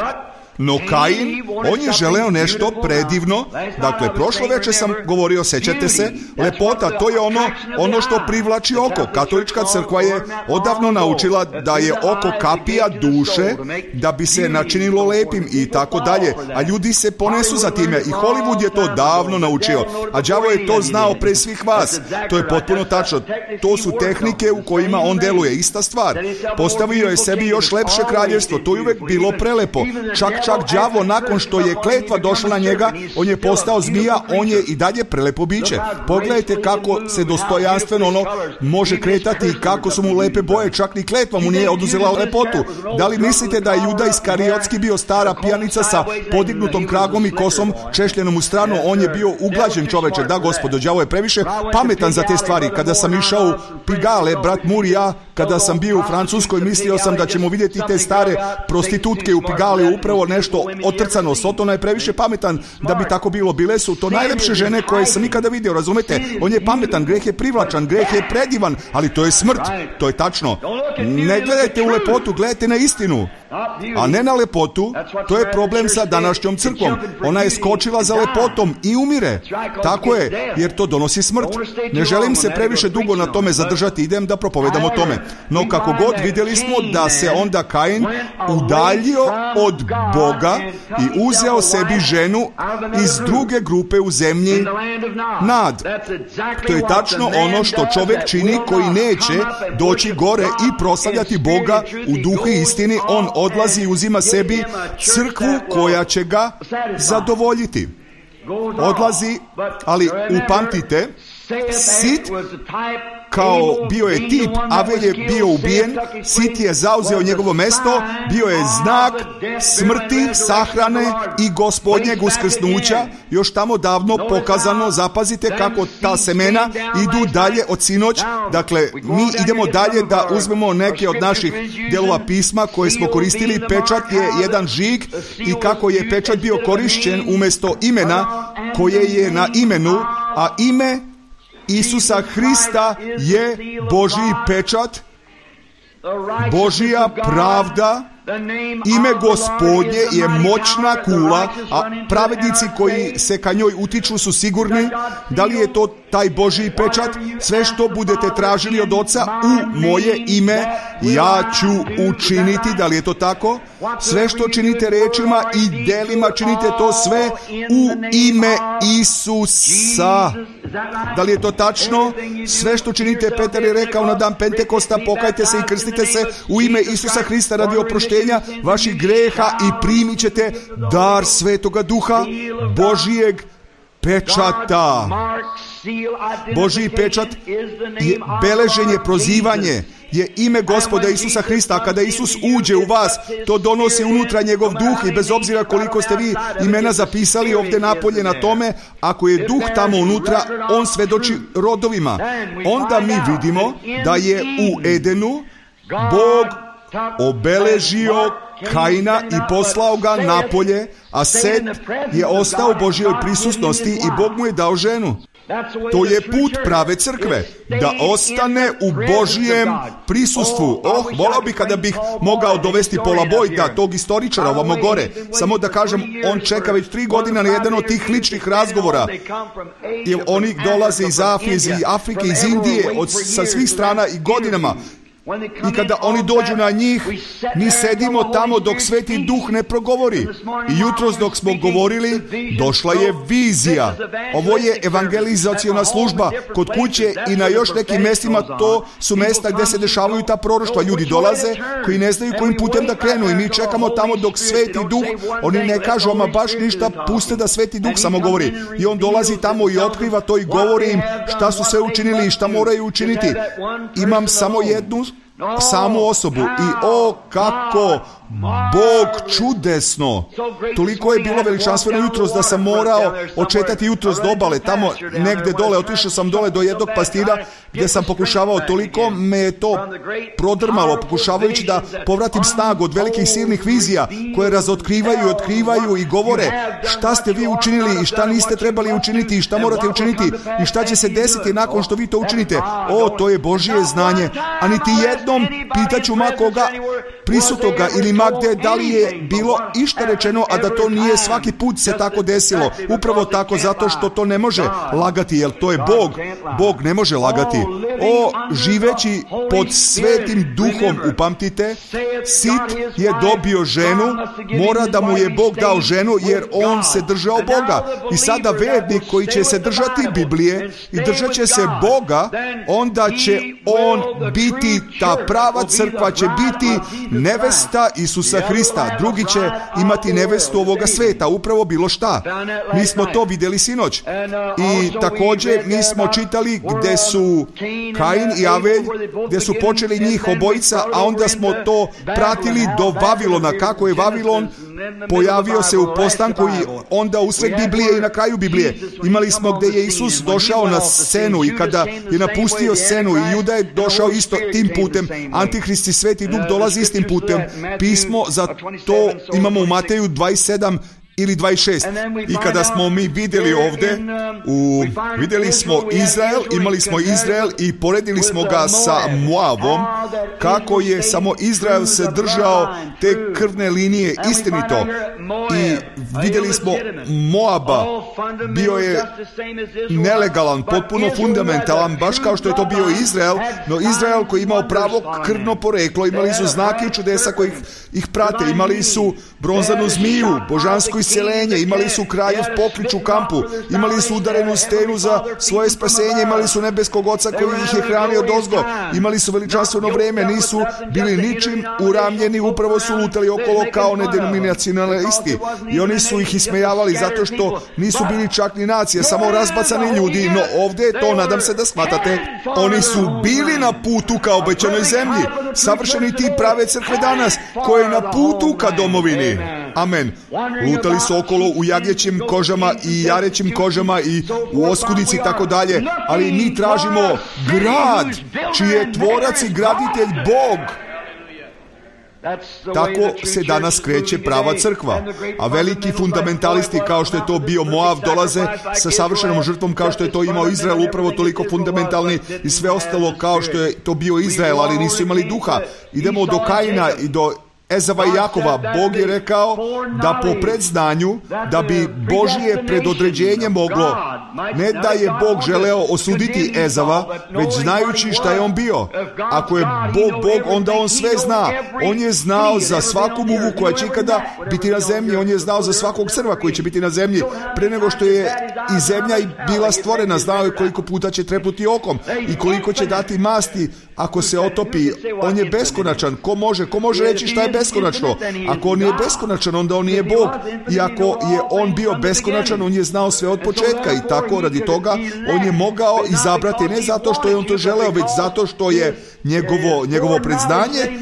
No Kain, on je želeo nešto predivno. Dakle, prošlo večer sam govorio, sećate se, lepota, to je ono, ono što privlači oko. Katolička crkva je odavno naučila da je oko kapija duše, da bi se načinilo lepim i tako dalje. A ljudi se ponesu za time i Hollywood je to davno naučio. A đavo je to znao pre svih vas. To je potpuno tačno. To su tehnike u kojima on deluje. Ista stvar. Postavio je sebi još lepše kraljevstvo. To je uvek bilo prelepo. Čak Čak đavo, nakon što je kletva došla na njega, on je postao zmija, on je i dalje prelepo biće. Pogledajte kako se dostojanstveno ono može kretati i kako su mu lepe boje, čak ni kletva mu nije oduzela lepotu. Da li mislite da je Juda Iskariotski bio stara pijanica sa podignutom kragom i kosom češljenom u stranu? On je bio uglađen čoveče. Da, gospodo, đavo je previše pametan za te stvari. Kada sam išao u Pigale, brat Mur i ja, kada sam bio u Francuskoj, mislio sam da ćemo vidjeti te stare prostitutke u Pigale, upravo nešto otrcano. Sotona je previše pametan da bi tako bilo. Bile su to najlepše žene koje sam nikada vidio, razumete? On je pametan, greh je privlačan, greh je predivan, ali to je smrt. To je tačno. Ne gledajte u lepotu, gledajte na istinu, a ne na lepotu. To je problem sa današnjom crkvom. Ona je skočila za lepotom i umire. Tako je, jer to donosi smrt. Ne želim se previše dugo na tome zadržati, idem da propovedam o tome. No kako god, vidjeli smo da se onda Kain udaljio od Boga i uzeo sebi ženu iz druge grupe u zemlji Nad. To je tačno ono što čovjek čini koji neće doći gore i proslavljati Boga u duhu i istini. On odlazi i uzima sebi crkvu koja će ga zadovoljiti. Odlazi, ali upamtite, Sit kao bio je tip, Avel je bio ubijen, Sit je zauzeo njegovo mesto, bio je znak smrti, sahrane i Gospodnjeg uskrsnuća, još tamo davno pokazano. Zapazite kako ta semena idu dalje od sinoć. Dakle, mi idemo dalje da uzmemo neke od naših delova pisma koje smo koristili. Pečat je jedan žig i kako je pečat bio korišćen umjesto imena koje je na imenu, a ime Isusa Hrista je Božji pečat, Božja pravda. Ime Gospodnje je moćna kula, a pravednici koji se ka njoj utiču su sigurni. Da li je to taj Božji pečat? Sve što budete tražili od Oca u moje ime, ja ću učiniti. Da li je to tako? Sve što činite rečima i delima, činite to sve u ime Isusa. Da li je to tačno? Sve što činite, Petar je rekao na dan Pentekosta, pokajte se i krstite se u ime Isusa Hrista radi oproštenja vaših greha i primit ćete dar Svetoga Duha, Božijeg pečata. Božji pečat je beleženje, prozivanje, je ime Gospoda Isusa Hrista. A kada Isus uđe u vas, to donosi unutra njegov duh i bez obzira koliko ste vi imena zapisali ovdje napolje na tome, ako je duh tamo unutra, on svedoči rodovima. Onda mi vidimo da je u Edenu Bog obeležio Kaina i poslao ga napolje, a Set je ostao u Božjoj prisutnosti i Bog mu je dao ženu. To je put prave crkve, da ostane u Božjem prisustvu. Oh, volao bih kada bih mogao dovesti Paula Boyda, tog istoričara ovamo gore. Samo da kažem, on čeka već tri godine na jedan od tih ličnih razgovora. Jer oni dolaze iz Afrike, iz Afrike, iz Indije, od, sa svih strana i godinama. I kada oni dođu na njih, mi sedimo tamo dok Sveti Duh ne progovori. I jutros dok smo govorili, došla je vizija. Ovo je evangelizaciona služba. Kod kuće i na još nekim mjestima, to su mjesta gdje se dešavaju ta proroštva. Ljudi dolaze koji ne znaju kojim putem da krenu i mi čekamo tamo dok Sveti Duh, oni ne kažu ama baš ništa, puste da Sveti Duh samo govori. I on dolazi tamo i otkriva to i govori im šta su sve učinili i šta moraju učiniti. Imam samo jednu samu osobu i o kako Bog čudesno. Toliko je bilo veličanstveno jutros da sam morao očetati jutros do obale, tamo negde dole, otišao sam dole do jednog pastira gdje sam pokušavao, toliko me je to prodrmalo, pokušavajući da povratim snagu od velikih silnih vizija koje razotkrivaju i otkrivaju i govore šta ste vi učinili i šta niste trebali učiniti i šta morate učiniti i šta će se desiti nakon što vi to učinite. O, to je Božje znanje, a niti jednom pitaću ma koga prisutoga ili ma gdje da li je bilo išta rečeno, a da to nije svaki put se tako desilo. Upravo tako, zato što to ne može lagati, jer to je Bog. Bog ne može lagati. O, živeći pod svetim duhom, upamtite, Sit je dobio ženu, mora da mu je Bog dao ženu, jer on se držao Boga. I sada vernik koji će se držati Biblije i držat će se Boga, onda će on biti, ta prava crkva će biti nevesta Isusa Hrista. Drugi će imati nevestu ovoga sveta, upravo bilo šta. Mi smo to vidjeli sinoć. I također mi smo čitali gdje su Kain i Avelj, gdje su počeli njih obojica, a onda smo to pratili do Vavilona, kako je Vavilon pojavio se u postanku i onda usred Biblije i na kraju Biblije. Imali smo gdje je Isus došao na scenu i kada je napustio scenu i Juda je došao isto tim putem. Antihrist i Sveti Duh dolazi istim putem. Pismo za to imamo u Mateju dvadeset sedam ili dvadeset šest. I kada smo mi vidjeli ovdje, u, vidjeli smo Izrael, imali smo Izrael i poredili smo ga sa Moavom, kako je samo Izrael se držao te krvne linije istinito. I vidjeli smo Moaba, bio je nelegalan, potpuno fundamentalan, baš kao što je to bio Izrael, no Izrael koji je imao pravo krvno poreklo, imali su znake i čudesa koji ih, ih prate, imali su bronzanu zmiju, božansko isceljenje, imali su kraljev poklič u kampu, imali su udarenu stenu za svoje spasenje, imali su nebeskog oca koji ih je hranio dozgo, imali su veličanstveno vreme, nisu bili ničim uramljeni, upravo su lutali okolo kao nedenominacionalisti i oni su ih ismejavali zato što nisu bili čak ni nacije, samo razbacani ljudi. No ovdje to, nadam se da shvatate, oni su bili na putu ka obećanoj zemlji, savršeni ti prave crkve danas koje je na putu ka domovini. Amen. Lutali su okolo u jagnjećim kožama i jarećim kožama i u oskudici i tako dalje, ali mi tražimo grad čiji je tvorac i graditelj Bog. Tako se danas kreće prava crkva, a veliki fundamentalisti kao što je to bio Moav dolaze sa savršenom žrtvom kao što je to imao Izrael, upravo toliko fundamentalni i sve ostalo kao što je to bio Izrael, ali nisu imali duha. Idemo do Kaina i do Ezava i Jakova. Bog je rekao da po predznanju, da bi Božje predodređenje moglo, ne da je Bog želeo osuditi Ezava, već znajući šta je on bio. Ako je Bog Bog, onda on sve zna. On je znao za svaku muvu koja će ikada biti na zemlji, on je znao za svakog crva koji će biti na zemlji. Pre nego što je i zemlja bila stvorena, znao je koliko puta će trepnuti okom i koliko će dati masti ako se otopi. On je beskonačan. Ko može, ko može reći šta je beskonačno? Ako on je beskonačan, onda on nije Bog. I ako je on bio beskonačan, on je znao sve od početka i tako radi toga on je mogao izabrati ne zato što je on to želeo, već zato što je njegovo, njegovo predznanje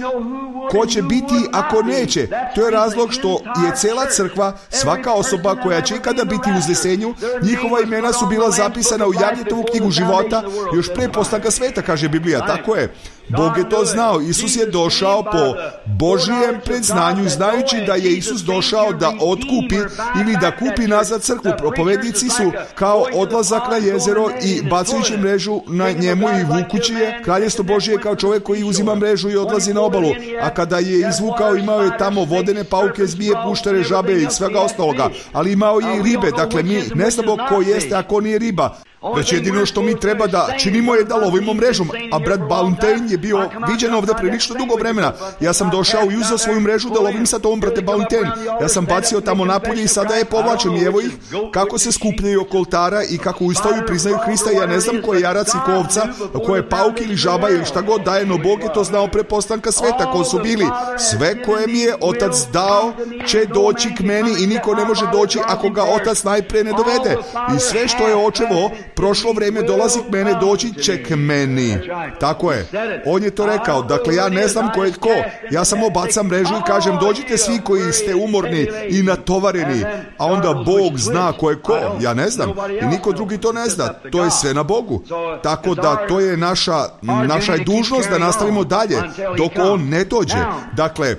ko će biti ako neće. To je razlog što je cela crkva, svaka osoba koja će ikada biti u uznesenju, njihova imena su bila zapisana u Jagnjetovu knjigu života još pre postanka sveta, kaže Biblija. Tako je. Bog je to znao. Isus je došao po Božijem predznanju, znajući da je Isus došao da otkupi ili da kupi nazad crkvu. Propovednici su kao odlazak na jezero i bacajući mrežu na njemu i vukući je. Kraljestvo Božije kao čovjek koji uzima mrežu i odlazi na obalu. A kada je izvukao, imao je tamo vodene pauke, zmije, puštere, žabe i svega ostaloga. Ali imao je i ribe. Dakle, mi ne znamo ko jeste, a ko nije riba. Već jedino što mi treba da činimo je da lovimo mrežom. A brat Ballantyne je bio viđen ovdje prilično dugo vremena. Ja sam došao i uzeo svoju mrežu da lovim sa tom, brate Ballantyne. Ja sam bacio tamo napolje i sada je povlačim. I evo ih kako se skupljaju oko oltara i kako ustaju, priznaju Hrista. Ja ne znam ko je jarac i ko ovca, ko je pauk ili žaba ili šta god daje, no Bog je to znao pre postanka sveta, ko su bili. Sve koje mi je Otac dao će doći k meni i niko ne može doći ako ga Otac najpre ne dovede. I sve što je Očevo prošlo vreme dolazi k mene, doći će k meni. Tako je. On je to rekao. Dakle, ja ne znam ko je ko. Ja samo bacam mrežu i kažem, dođite svi koji ste umorni i natovareni. A onda Bog zna ko je ko. Ja ne znam. I niko drugi to ne zna. To je sve na Bogu. Tako da to je naša, naša je dužnost da nastavimo dalje dok on ne dođe. Dakle,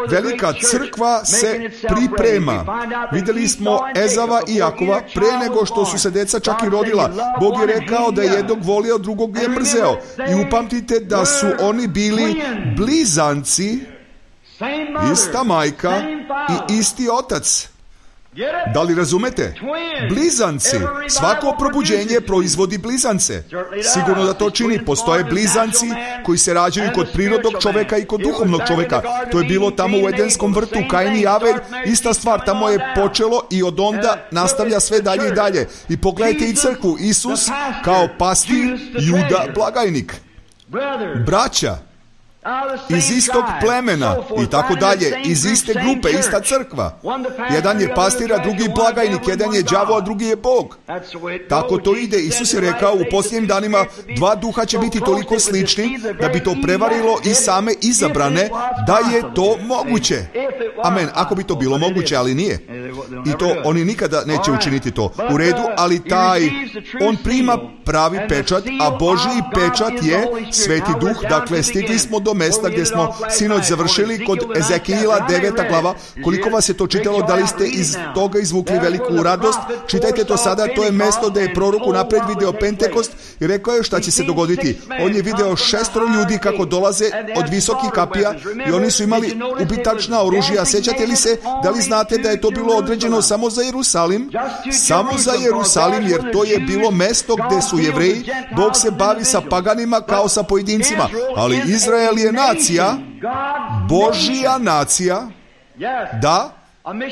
velika crkva se priprema. Vidjeli smo Ezava i Jakova pre nego što su se deca čak i rodila. Bog je rekao da je jednog volio, drugog je mrzeo. I upamtite da su oni bili blizanci, ista majka i isti otac. Da li razumete? Blizanci. Svako probuđenje proizvodi blizance. Sigurno da to čini. Postoje blizanci koji se rađaju kod prirodnog čoveka i kod duhovnog čoveka. To je bilo tamo u Edenskom vrtu, Kain i Avel. Ista stvar, tamo je počelo i od onda nastavlja sve dalje i dalje. I pogledajte i crkvu. Isus kao pastir, Juda blagajnik. Braća iz istog plemena i tako dalje, iz iste grupe, ista crkva. Jedan je pastir, a drugi blagajnik, jedan je đavo, a drugi je Bog. Tako to ide. Isus je rekao, u posljednjim danima dva duha će biti toliko slični da bi to prevarilo i same izabrane, da je to moguće. Amen. Ako bi to bilo moguće, ali nije. I to oni nikada neće učiniti to. U redu, ali taj, on prima pravi pečat, a Božji pečat je Sveti Duh. Dakle, stigli smo do mesta gdje smo sinoć završili kod Ezekijila deveta glava. Koliko vas je to čitalo, da li ste iz toga izvukli veliku radost? Čitajte to sada, to je mesto da je prorok unapred video Pentekost i rekao je šta će se dogoditi. On je video šestoro ljudi kako dolaze od visokih kapija i oni su imali ubitačna oružja. Sjećate li se, da li znate da je to bilo određeno samo za Jerusalim? Samo za Jerusalim, jer to je bilo mesto gdje su Jevreji. Bog se bavi sa paganima kao sa pojedincima, ali Izrael je nacija, Božja nacija. Da,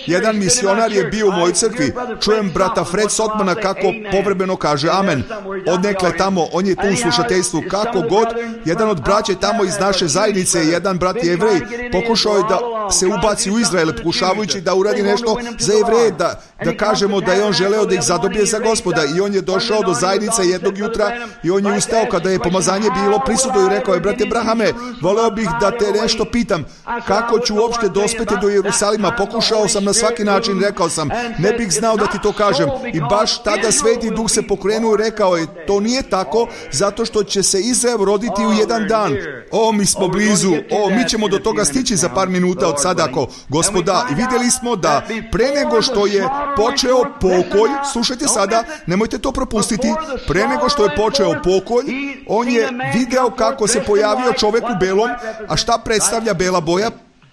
jedan misionar je bio u mojoj crkvi. Čujem brata Fred Sotmana kako povremeno kaže amen. Odnekle tamo, on je tu u slušateljstvu. Kako god, jedan od braće tamo iz naše zajednice, jedan brat je Jevrej, pokušao je da se ubaci u Izrael, pokušavajući da uradi nešto za Jevreje, da, da kažemo da je on želeo da ih zadobije za Gospoda. I on je došao do zajednice jednog jutra i on je ustao kada je pomazanje bilo prisutno i rekao je, brate Brahame, voleo bih da te nešto pitam, kako ću uopšte dospeti do Jerusalima? Pokušao sam na svaki način, rekao sam, ne bih znao da ti to kažem. I baš tada Sveti Duh se pokrenuo i rekao je, to nije tako, zato što će se Izrael roditi u jedan dan. O, mi smo blizu, o, mi ćemo do toga stići za par minuta od sada, ako Gospoda. I vidjeli smo da pre nego što je počeo pokolj, slušajte sada, nemojte to propustiti, pre nego što je počeo pokolj, on je video kako se pojavio čovjek u belom, a šta predstavlja bela boja?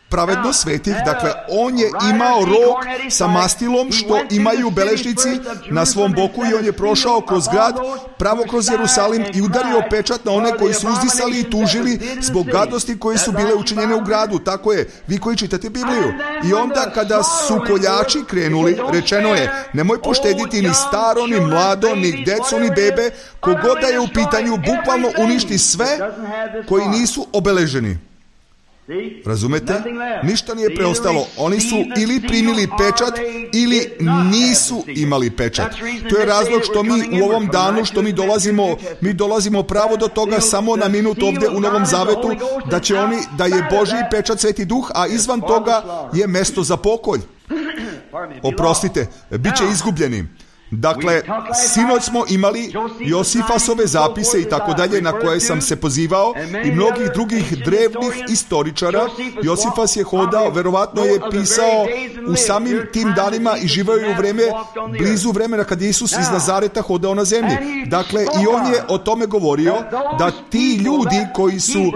Pravedno svetih. Dakle, on je imao rog sa mastilom što imaju beležnici na svom boku i on je prošao kroz grad, pravo kroz Jerusalim i udario pečat na one koji su uzdisali i tužili zbog gadosti koje su bile učinjene u gradu. Tako je, vi koji čitate Bibliju. I onda kada su koljači krenuli, rečeno je, nemoj poštediti ni staro, ni mlado, ni decu, ni bebe, kogod da je u pitanju, bukvalno uništi sve koji nisu obeleženi. Razumete? Ništa nije preostalo. Oni su ili primili pečat ili nisu imali pečat. To je razlog što mi u ovom danu, što mi dolazimo, mi dolazimo pravo do toga samo na minut ovdje u Novom Zavetu, da će oni, da je Božji pečat Sveti Duh, a izvan toga je mesto za pokolj. Oprostite, bit će izgubljeni. Dakle, sinoć smo imali Josifasove zapise i tako dalje na koje sam se pozivao i mnogih drugih drevnih istoričara. Josifas je hodao, verovatno je pisao u samim tim danima i živao je u vreme, blizu vremena kad je Isus iz Nazareta hodao na zemlji. Dakle, i on je o tome govorio da ti ljudi koji su,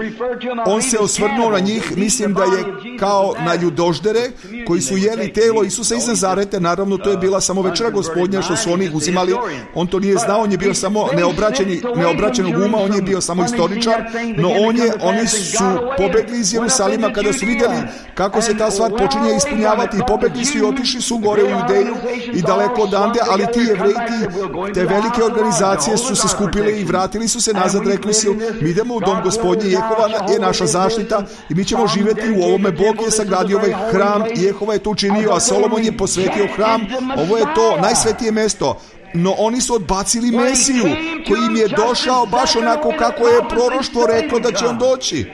on se osvrnuo na njih, mislim da je kao na ljudoždere koji su jeli telo Isusa iz Nazareta. Naravno, to je bila samo večera Gospodnja što su oni uzimali, on to nije znao, on je bio samo neobraćeni, neobraćenog uma, on je bio samo istoričar, no on je, oni su pobegli iz Jerusalima kada su vidjeli kako se ta stvar počinje ispunjavati i pobegli su i otišli su gore u Judeju i daleko odande, ali ti Jevreji, te velike organizacije su se skupile i vratili su se nazad, rekli su, mi idemo u dom Gospodnji, Jehova je naša zaštita i mi ćemo živjeti u ovome. Bog je sagradio ovaj hram, Jehova je to učinio, a Solomon je posvetio hram, ovo je to najsvetije mesto. no oni su odbacili Mesiju, koji im je došao baš onako kako je proroštvo reklo da će on doći.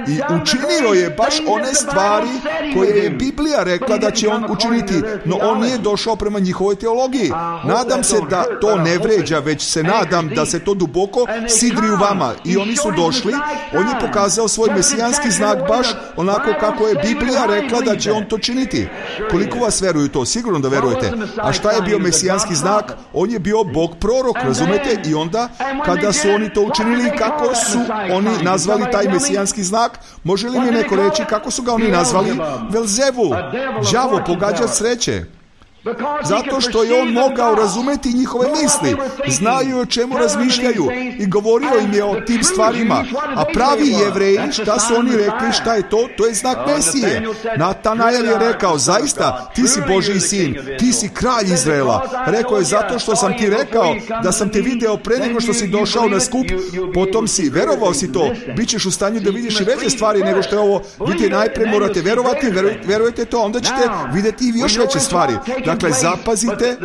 I učinio je baš one stvari koje je Biblija rekla da će on učiniti, no on nije došao prema njihovoj teologiji. Nadam se da to ne vređa, već se nadam da se to duboko sidri u vama. I oni su došli, on je pokazao svoj mesijanski znak baš onako kako je Biblija rekla da će on to činiti. Koliko vas veruju to? Sigurno da verujete. A šta je bio mesijanski znak? On je bio Bog prorok, razumete? I onda, kada su oni to učinili, kako su oni nazvali taj mesijanski znak? Može li mi neko reći kako su ga oni nazvali? Velzebul, đavo, pogađač sreće. Zato što je on mogao razumeti njihove misli, znaju o čemu razmišljaju i govorio im je o tim stvarima. A pravi Jevreji, šta su oni rekli, šta je to? To je znak Mesije. Natanael je rekao, zaista, ti si Božji sin, ti si kralj Izraela. Rekao je, zato što sam ti rekao da sam te video pre nego što si došao na skup, potom si, verovao si to, bit ćeš u stanju da vidiš i veće stvari nego što je ovo. Vidite, najpre morate verovati, verujete to, onda ćete vidjeti i još veće stvari. Dakle, zapazite,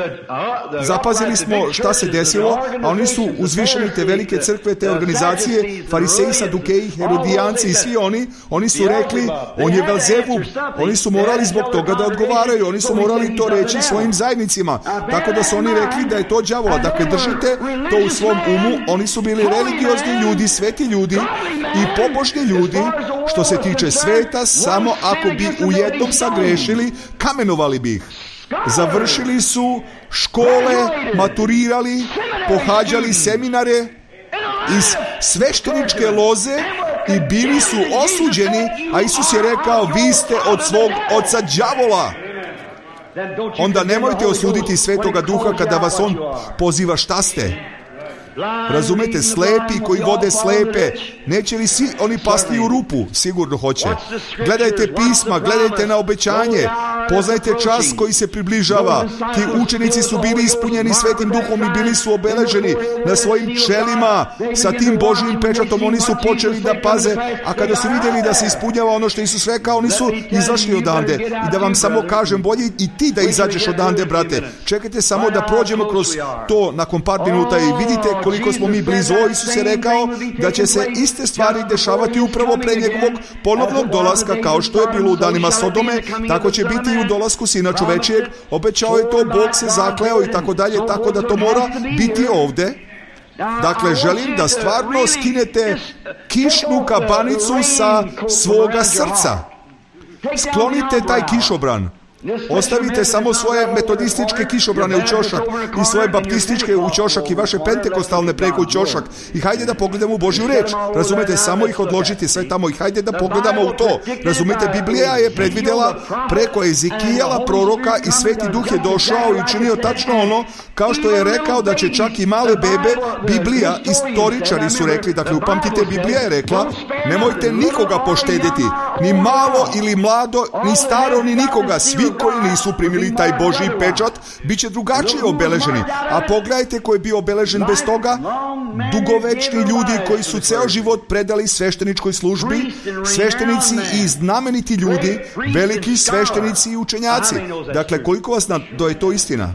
zapazili smo šta se desilo, a oni su uzvišeni te velike crkve, te organizacije, fariseji, sadukeji, herodijanci i svi oni, oni su rekli, on je Belzebub, oni su morali zbog toga da odgovaraju, oni su morali to reći svojim zajednicima, tako da su oni rekli da je to đavola. Dakle, držite to u svom umu, oni su bili religiozni ljudi, sveti ljudi i pobožni ljudi, što se tiče sveta, samo ako bi u jednom sagrešili, kamenovali bi ih. Završili su škole, maturirali, pohađali seminare iz svešteničke loze i bili su osuđeni, a Isus je rekao, vi ste od svog oca đavola. Onda nemojte osuditi Svetoga Duha kada vas on poziva, šta ste? Razumete, slepi koji vode slepe, neće li svi oni pasti u rupu? Sigurno hoće. Gledajte pisma, gledajte na obećanje, poznajte čas koji se približava. Ti učenici su bili ispunjeni Svetim Duhom i bili su obeleženi na svojim čelima sa tim Božjim pečatom. Oni su počeli da paze, a kada su vidjeli da se ispunjava ono što Isus rekao, oni su izašli odande. I da vam samo kažem, bolje i ti da izađeš odande, brate. Čekajte samo da prođemo kroz to nakon par minuta i vidite koliko smo mi blizu. O, Isus je rekao da će se iste stvari dešavati upravo pre njegovog ponovnog dolaska, kao što je bilo u danima Sodome, tako će biti i u dolasku Sina čovečijeg. Obećao je to, Bog se zakleo i tako dalje, tako da to mora biti ovde. Dakle, želim da stvarno skinete kišnu kabanicu sa svoga srca. Sklonite taj kišobran. Ostavite samo svoje metodističke kišobrane u ćošak i svoje baptističke u ćošak i vaše pentekostalne preko u ćošak i hajde da pogledamo u Božju reč. Razumete, samo ih odložiti sve tamo i hajde da pogledamo u to. Razumete, Biblija je predvidjela preko Ezekijela, proroka, i Sveti Duh je došao i učinio tačno ono kao što je rekao da će čak i male bebe. Biblija, istoričari su rekli, dakle upamtite, Biblija je rekla, nemojte nikoga poštediti, ni malo ili mlado, ni staro, ni nikoga. Svi koji nisu primili taj Božji pečat bit će drugačije obeleženi. A pogledajte ko je bio obeležen bez toga. Dugovečni ljudi koji su ceo život predali svešteničkoj službi, sveštenici i znameniti ljudi, veliki sveštenici i učenjaci. Dakle, koliko vas na da je to istina?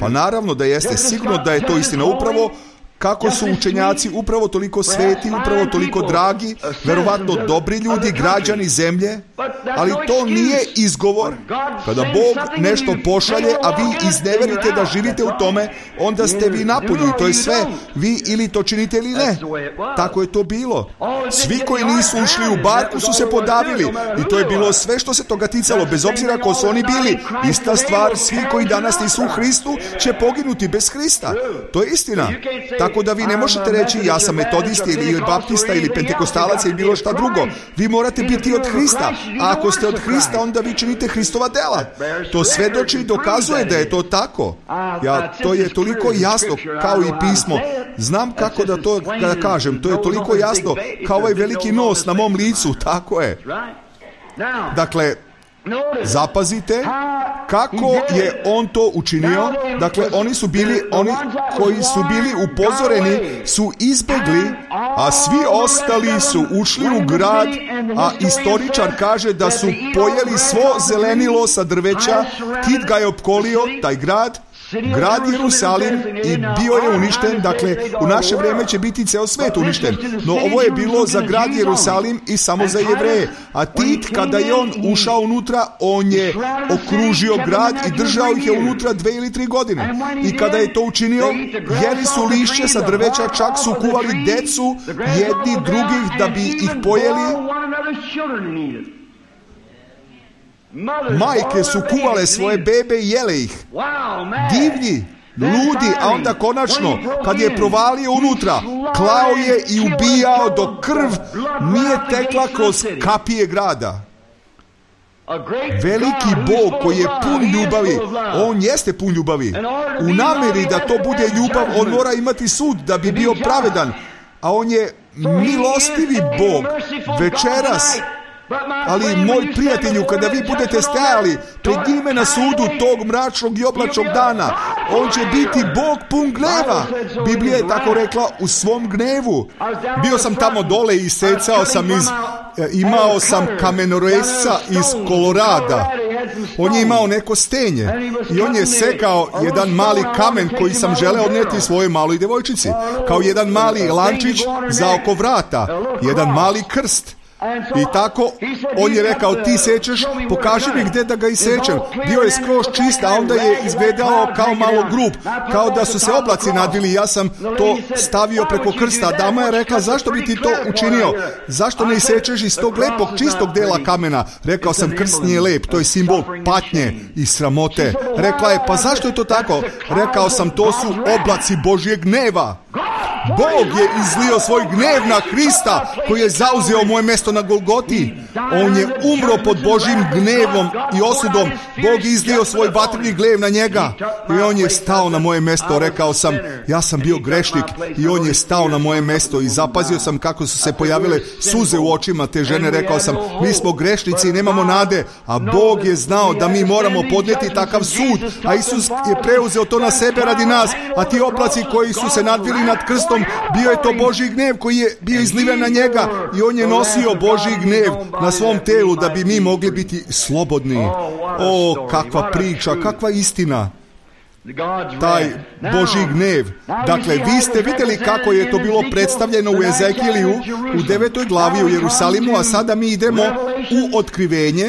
Pa naravno da jeste, sigurno da je to istina. Upravo kako su učenjaci upravo toliko sveti, upravo toliko dragi, verovatno dobri ljudi, građani zemlje, ali to nije izgovor. Kada Bog nešto pošalje, a vi izneverite da živite u tome, onda ste vi napolju i to je sve. Vi ili to činite ili ne. Tako je to bilo. Svi koji nisu ušli u barku su se podavili i to je bilo sve što se toga ticalo, bez obzira ko su oni bili. Ista stvar, svi koji danas nisu u Hristu će poginuti bez Hrista. To je istina. Tako da vi ne možete reći ja sam metodist ili baptista ili pentekostalac ili bilo šta drugo. Vi morate biti od Hrista. A ako ste od Hrista, onda vi činite Hristova dela. To svedoči i dokazuje da je to tako. Ja, to je toliko jasno kao i pismo. Znam kako da to da kažem. To je toliko jasno kao ovaj veliki nos na mom licu. Tako je. Dakle, zapazite kako je on to učinio. Dakle, oni su bili, oni koji su bili upozoreni su izbegli, a svi ostali su ušli u grad, a istoričar kaže da su pojeli svo zelenilo sa drveća. Tit ga je opkolio, taj grad, grad Jerusalim i bio je uništen, dakle u naše vrijeme će biti ceo svet uništen, no ovo je bilo za grad Jerusalim i samo za Jevreje. A Tit, kada je on ušao unutra, on je okružio grad i držao ih je unutra dve ili tri godine. I kada je to učinio, jeli su lišće sa drveća, čak su kuvali decu jedni drugih da bi ih pojeli. Majke su kuvale svoje bebe i jele ih. Divlji, ludi, a onda konačno, kad je provalio unutra, klao je i ubijao dok krv nije tekla kroz kapije grada. Veliki Bog koji je pun ljubavi, on jeste pun ljubavi. U namjeri da to bude ljubav, on mora imati sud da bi bio pravedan, a on je milostivi Bog. Večeras, ali moj prijatelju, kada vi budete stajali pred njime na sudu tog mračnog i oblačnog dana, on će biti Bog pun gneva. Biblija je tako rekla, u svom gnevu. Bio sam tamo dole i secao sam iz, imao sam kamenoresca iz Kolorada. On je imao neko stenje i on je sekao jedan mali kamen koji sam želeo odneti svojoj maloj devojčici, kao jedan mali lančić za oko vrata, jedan mali krst. I tako, on je rekao, ti sečeš, pokaži mi gdje da ga isečem. Bio je skroz čist, a onda je izgledao kao malo grub, kao da su se oblaci nadvili. Ja sam to stavio preko krsta. Dama je rekla, zašto bi ti to učinio? Zašto ne isečeš iz tog lepog, čistog dela kamena? Rekao sam, krst nije lep, to je simbol patnje i sramote. Rekla je, pa zašto je to tako? Rekao sam, to su oblaci Božjeg gneva. Bog je izlio svoj gnev na Hrista koji je zauzeo moje mjesto na Golgoti. On je umro pod Božjim gnevom i osudom. Bog je izlio svoj vatreni gnev na njega i on je stao na moje mjesto. Rekao sam, ja sam bio grešnik i on je stao na moje mjesto i zapazio sam kako su se pojavile suze u očima te žene. Rekao sam, mi smo grešnici i nemamo nade, a Bog je znao da mi moramo podnijeti takav sud, a Isus je preuzeo to na sebe radi nas, a ti oblaci koji su se nadvili nad krstom, bio je to Božji gnev koji je bio izliven na njega i on je nosio Božji gnev na svom telu da bi mi mogli biti slobodni. O, kakva priča, kakva istina. Taj Božji gnev. Dakle, vi ste vidjeli kako je to bilo predstavljeno u Ezekiliju u devetoj glavi u Jerusalimu, a sada mi idemo u Otkrivenje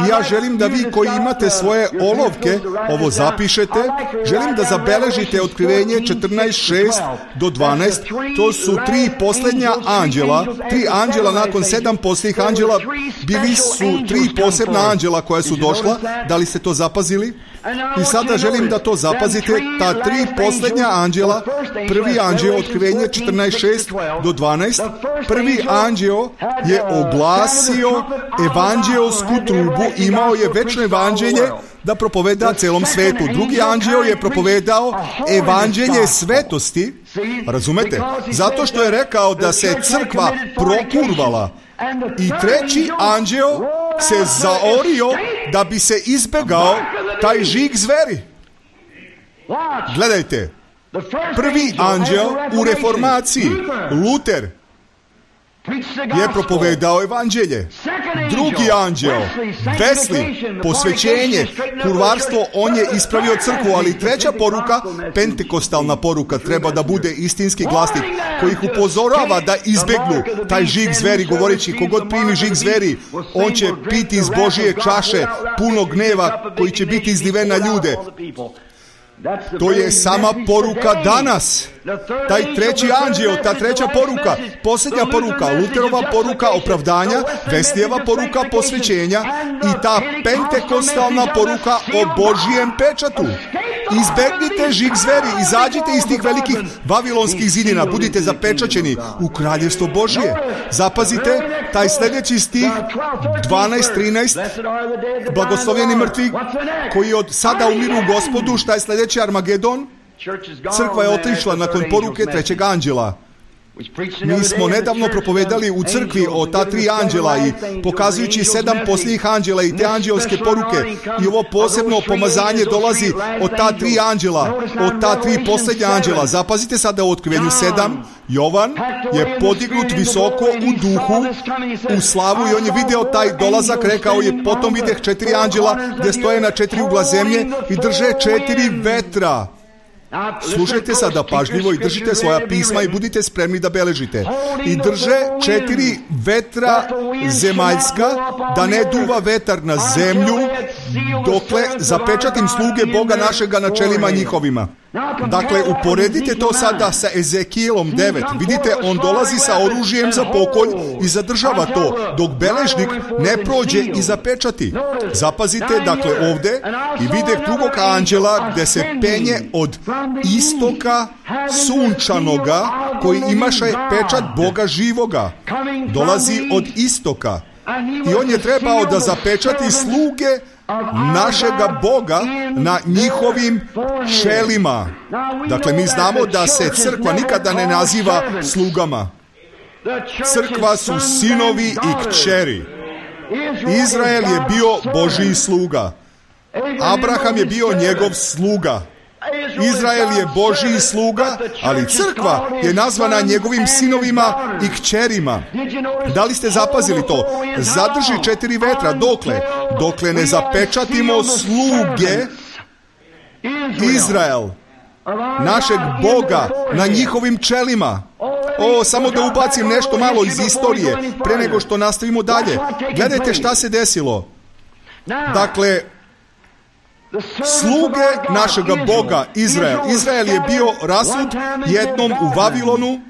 i ja želim da vi koji imate svoje olovke ovo zapišete. Želim da zabeležite Otkrivenje četrnaest šest do dvanaest. To su tri posljednja anđela, tri anđela nakon sedam posljednjih anđela. Bili su tri posebna anđela koja su došla. Da li ste to zapazili? I sada želim da to zapazite, ta tri posljednja anđela. Prvi anđeo, Otkrivenje četrnaest šest do dvanaest, prvi anđeo je oglasio evanđeosku trubu, imao je večno evanđelje da propoveda celom svetu. Drugi anđeo je propovedao evanđelje svetosti, razumete? Zato što je rekao da se crkva prokurvala. I treći anđeo se zaorio da bi se izbegao taj žig zveri. Gledajte, prvi anđeo u reformaciji, Luter, je propovedao evanđelje. Drugi anđeo, Wesley, posvećenje, kurvarstvo, on je ispravio crkvu, ali treća poruka, pentekostalna poruka, treba da bude istinski glasnik koji ih upozorava da izbegnu taj žig zveri, govoreći kogod primi žig zveri, on će piti iz Božije čaše puno gneva koji će biti izliven na ljude. To je sama poruka danas. Taj treći anđeo, ta treća poruka, posljednja poruka, Luterova poruka opravdanja, Wesleyeva poruka posvećenja i ta pentekostalna poruka o Božijem pečatu. Izbegnite žig zveri, izađite iz tih velikih vavilonskih zidina, budite zapečaćeni u kraljevstvo Božije. Zapazite taj sljedeći stih dvanaest trinaest, blagoslovljeni mrtvi koji od sada umiru u Gospodu. Šta je sljedeći? Armagedon. Crkva je otišla nakon poruke trećeg anđela. Mi smo nedavno propovedali u crkvi o ta tri anđela i pokazujući sedam posljednjih anđela i te anđelske poruke i ovo posebno pomazanje dolazi od ta tri anđela, od ta tri posljednja anđela. Zapazite sada u Otkrivenju sedam. Jovan je podignut visoko u duhu, u slavu i on je video taj dolazak, rekao je, potom videh četiri anđela gdje stoje na četiri ugla zemlje i drže četiri vetra. Slušajte sada pažljivo i držite svoja pisma i budite spremni da beležite. I drže četiri vetra zemaljska, da ne duva vetar na zemlju, dokle zapečatim sluge Boga našega na čelima njihovima. Dakle, uporedite to sada sa Ezekijelom devet. Vidite, on dolazi sa oružjem za pokolj i zadržava to, dok beležnik ne prođe i zapečati. Zapazite, dakle, ovde i videh drugog anđela gde se penje od istoka sunčanoga, koji imaše pečat Boga živoga. Dolazi od istoka. I on je trebao da zapečati sluge našega Boga na njihovim čelima. Dakle, mi znamo da se crkva nikada ne naziva slugama. Crkva su sinovi i kćeri. Izrael je bio Božji sluga. Abraham je bio njegov sluga. Izrael je Božji sluga, ali crkva je nazvana njegovim sinovima i kćerima. Da li ste zapazili to? Zadrži četiri vetra. Dokle? Dokle ne zapečatimo sluge Izrael, našeg Boga, na njihovim čelima. O, samo da ubacim nešto malo iz istorije, pre nego što nastavimo dalje. Gledajte šta se desilo. Dakle, sluge našega Boga, Izrael. Izrael je bio rasut jednom u Vavilonu,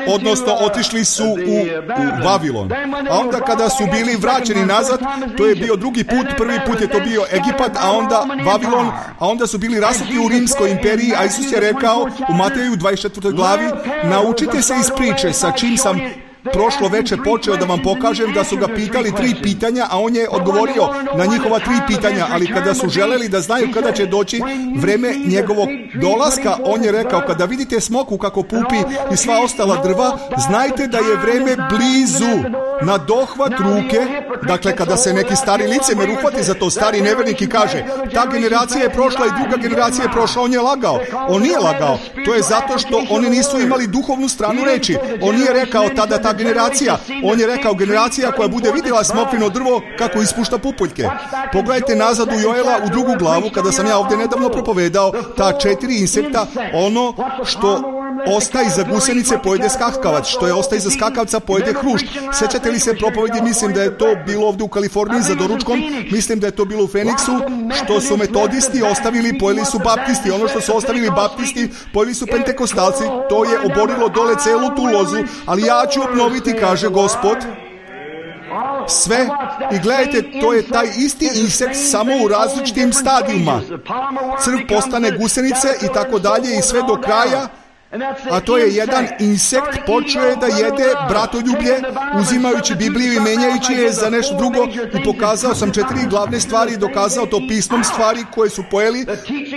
odnosno otišli su u, u Vavilon. A onda kada su bili vraćeni nazad, to je bio drugi put, prvi put je to bio Egipat, a onda Vavilon, a onda su bili rasuti u Rimskoj imperiji, a Isus je rekao u Mateju dvadeset četvrtoj glavi, naučite se iz priče, sa čim sam prošlo veče počeo da vam pokažem, da su ga pitali tri pitanja, a on je odgovorio na njihova tri pitanja, ali kada su želeli da znaju kada će doći vreme njegovog dolaska, on je rekao, kada vidite smoku kako pupi i sva ostala drva, znajte da je vreme blizu, na dohvat ruke. Dakle, kada se neki stari licemer uhvati za to, stari nevernik i kaže, ta generacija je prošla i druga generacija je prošla, on je lagao. On nije lagao, to je zato što oni nisu imali duhovnu stranu reči. On nije rekao tada ta generacija, on je rekao generacija koja bude vidjela smokvino drvo kako ispušta pupoljke. Pogledajte nazad u Joela u drugu glavu, kada sam ja ovdje nedavno propovedao, ta četiri insekta, ono što ostaje iza gusenice pojede skakavac, što je ostaje iza skakavca pojede hrušt. Sjećate li se propovedi, mislim da je to bilo ovdje u Kaliforniji za doručkom, mislim da je to bilo u Feniksu, što su metodisti ostavili, pojeli su baptisti, ono što su ostavili baptisti, pojeli su pentekostalci, to je oborilo dole celu tu lozu, ali ja ću obnoviti, kaže Gospod, sve. I gledajte, to je taj isti insekt samo u različitim stadijuma. Crv postane gusenice i tako dalje i sve do kraja. A to je jedan insekt počeo da jede bratoljublje, uzimajući Bibliju i menjajući je za nešto drugo, i pokazao sam četiri glavne stvari i dokazao to pismom stvari koje su pojeli: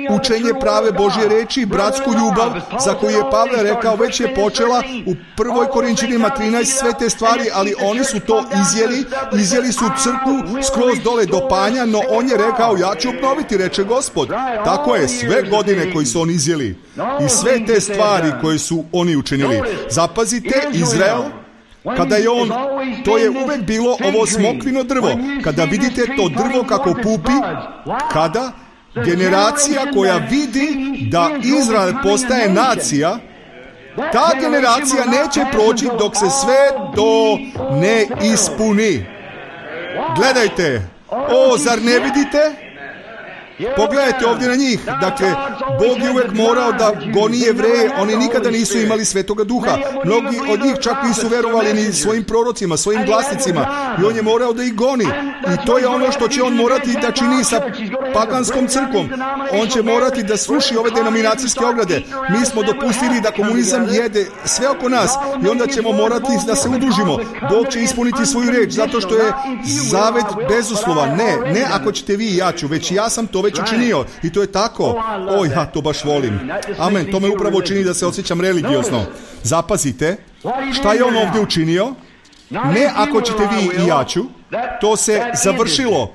učenje prave Božje reči, bratsku ljubav, za koju je Pavle rekao već je počela u prvoj Korinćanima trinaest, sve te stvari, ali oni su to izjeli, izjeli su crkvu skroz dole do panja, no on je rekao, ja ću obnoviti, reče Gospod. Tako je, sve godine koji su oni izjeli i sve te stvari koje su oni učinili. Zapazite, Izrael, kada je on, to je uvek bilo ovo smokvino drvo. Kada vidite to drvo kako pupi, kada generacija koja vidi da Izrael postaje nacija, ta generacija neće proći dok se sve to ne ispuni. Gledajte, o, zar ne vidite? Pogledajte ovdje na njih. Dakle, Bog je uvek morao da goni Jevreje, oni nikada nisu imali Svetoga Duha. Mnogi od njih čak nisu verovali ni svojim prorocima, svojim glasnicima, i on je morao da ih goni. I to je ono što će on morati da čini sa paganskom crkvom. On će morati da sruši ove denominacijske ograde. Mi smo dopustili da komunizam jede sve oko nas i onda ćemo morati da se udružimo. Bog će ispuniti svoju reč, zato što je zavet bezuslovan. Ne, ne ako ćete vi i ja ću, već ja sam to već učinio. I to je tako. O, ja to baš volim. Amen. To me upravo čini da se osjećam religiozno. Zapazite, Šta je on ovdje učinio? Ne ako ćete vi i ja ću, to se završilo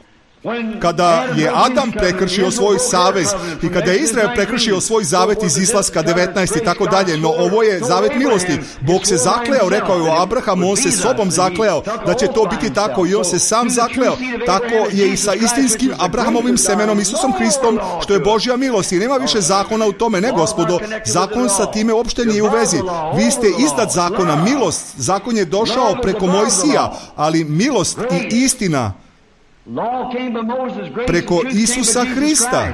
kada je Adam prekršio svoj savez i kada je Izrael prekršio svoj zavet iz Izlaska devetnaest i tako dalje, no ovo je zavet milosti. Bog se zakleo, rekao je o Abrahamu, on se sobom zakleo da će to biti tako i on se sam zakleo. Tako je i sa istinskim Abrahamovim semenom, Isusom Hristom, što je Božja milost i nema više zakona u tome. Ne, gospodo, zakon sa time uopšte nije u vezi. Vi ste iznad zakona, milost, zakon je došao preko Mojsija, ali milost i istina preko Isusa Hrista.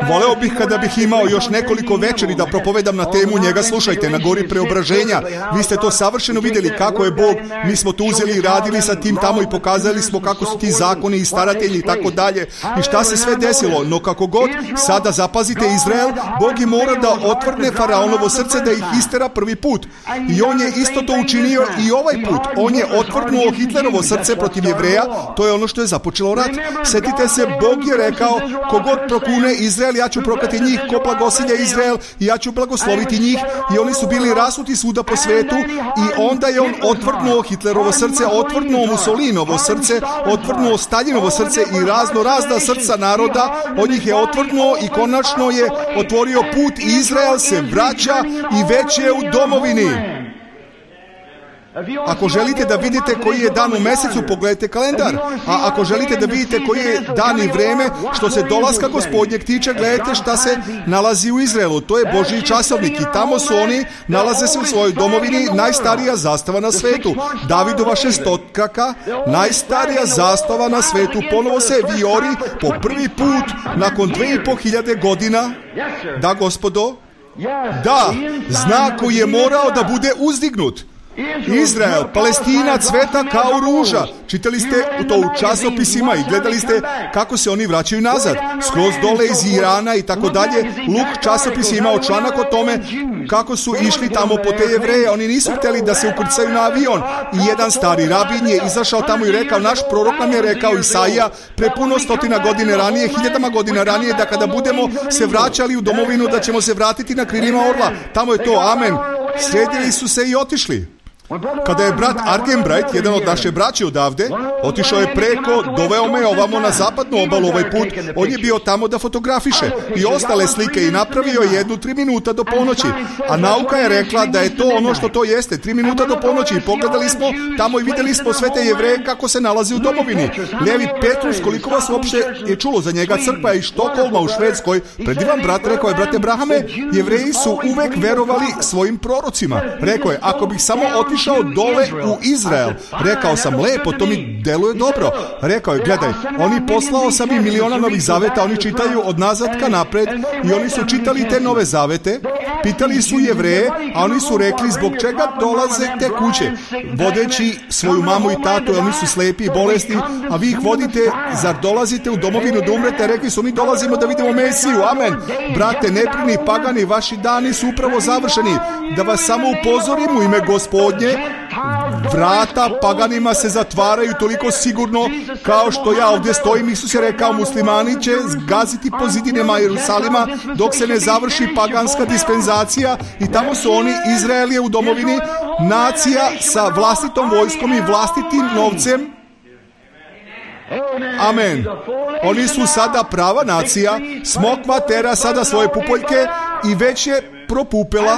Voleo bih kada bih imao još nekoliko večeri da propovedam na temu njega. Slušajte, na gori preobraženja. Vi ste to savršeno vidjeli kako je Bog. Mi smo to uzeli i radili sa tim tamo i pokazali smo kako su ti zakoni i staratelji i tako dalje. I šta se sve desilo. No kako god, sada zapazite Izrael, Bog je mora da otvrne Faraonovo srce da ih istera prvi put. I on je isto to učinio i ovaj put. On je otvrnuo Hitlerovo srce protiv Jevreja. To je ono što je započelo rat. Sjetite se, Bog je rekao, kogod prokune Izrael, ja ću proklati njih, ko blagosilja Izrael, i ja ću blagosloviti njih. I oni su bili rasuti svuda po svetu i onda je on otvrnuo Hitlerovo srce, otvrnuo Mussolinovo srce, otvrnuo Staljinovo srce i razno razna srca naroda. On ih je otvrnuo i konačno je otvorio put i Izrael se vraća i već je u domovini. Ako želite da vidite koji je dan u mesecu, pogledajte kalendar. A ako želite da vidite koji je dan i vreme što se dolaska Gospodnjeg tiče, gledajte šta se nalazi u Izraelu. To je Božji časovnik i tamo su oni, nalaze se u svojoj domovini, najstarija zastava na svetu. Davidova šestokraka, najstarija zastava na svetu, ponovo se vijori po prvi put nakon dve i po hiljade godina. Da, gospodo, da, znak koji je morao da bude uzdignut. Izrael, Palestina cveta kao ruža. Čitali ste to u časopisima i gledali ste kako se oni vraćaju nazad, skroz dole iz Irana i tako dalje. Luk časopis je imao članak o tome kako su išli tamo po te Jevreje. Oni nisu htjeli da se ukrcaju na avion i jedan stari rabin je izašao tamo i rekao, naš prorok nam je rekao, Isaija, pre puno stotina godine ranije, hiljadama godina ranije, da kada budemo se vraćali u domovinu da ćemo se vratiti na krilima orla. Tamo je to, amen. Sredili su se i otišli. Kada je brat Argenbright, jedan od naše braće odavde, otišao je preko, doveo me ovamo na zapadnu obalu ovaj put, on je bio tamo da fotografiše i ostale slike i napravio jednu tri minuta do ponoći. A nauka je rekla da je to ono što to jeste, tri minuta do ponoći, i pogledali smo tamo i vidjeli smo sve te Jevreje kako se nalazi u domovini. Levi Petrus, koliko vas uopšte je čulo za njega, crkva iz Štokholma u Švedskoj, predivan brat, rekao je, brate Brahame, Jevreji su uvek verovali svojim prorocima. Rekao je, ako bih samo otišao dole u Izrael, rekao sam, lepo, to mi deluje dobro. Rekao je, gledaj, oni poslao sam i miliona novih zaveta, oni čitaju od nazad ka napred i oni su čitali te nove zavete, pitali su Jevreje, a oni su rekli, zbog čega dolaze te kuće, vodeći svoju mamu i tatu, oni su slepi i bolesni, a vi ih vodite, zar dolazite u domovinu da umrete? Rekli su, mi dolazimo da vidimo Mesiju, amen. Brate, neprini pagani, vaši dani su upravo završeni. Da vas samo upozorim u ime Gospodnje, vrata paganima se zatvaraju toliko sigurno kao što ja ovdje stojim. Isus je rekao, muslimani će zgaziti po zidinama Jerusalima dok se ne završi paganska dispenzacija, i tamo su oni, Izrael je u domovini, nacija sa vlastitom vojskom i vlastitim novcem. Amen. Oni su sada prava nacija, smokva tera sada svoje pupoljke i već je propupela,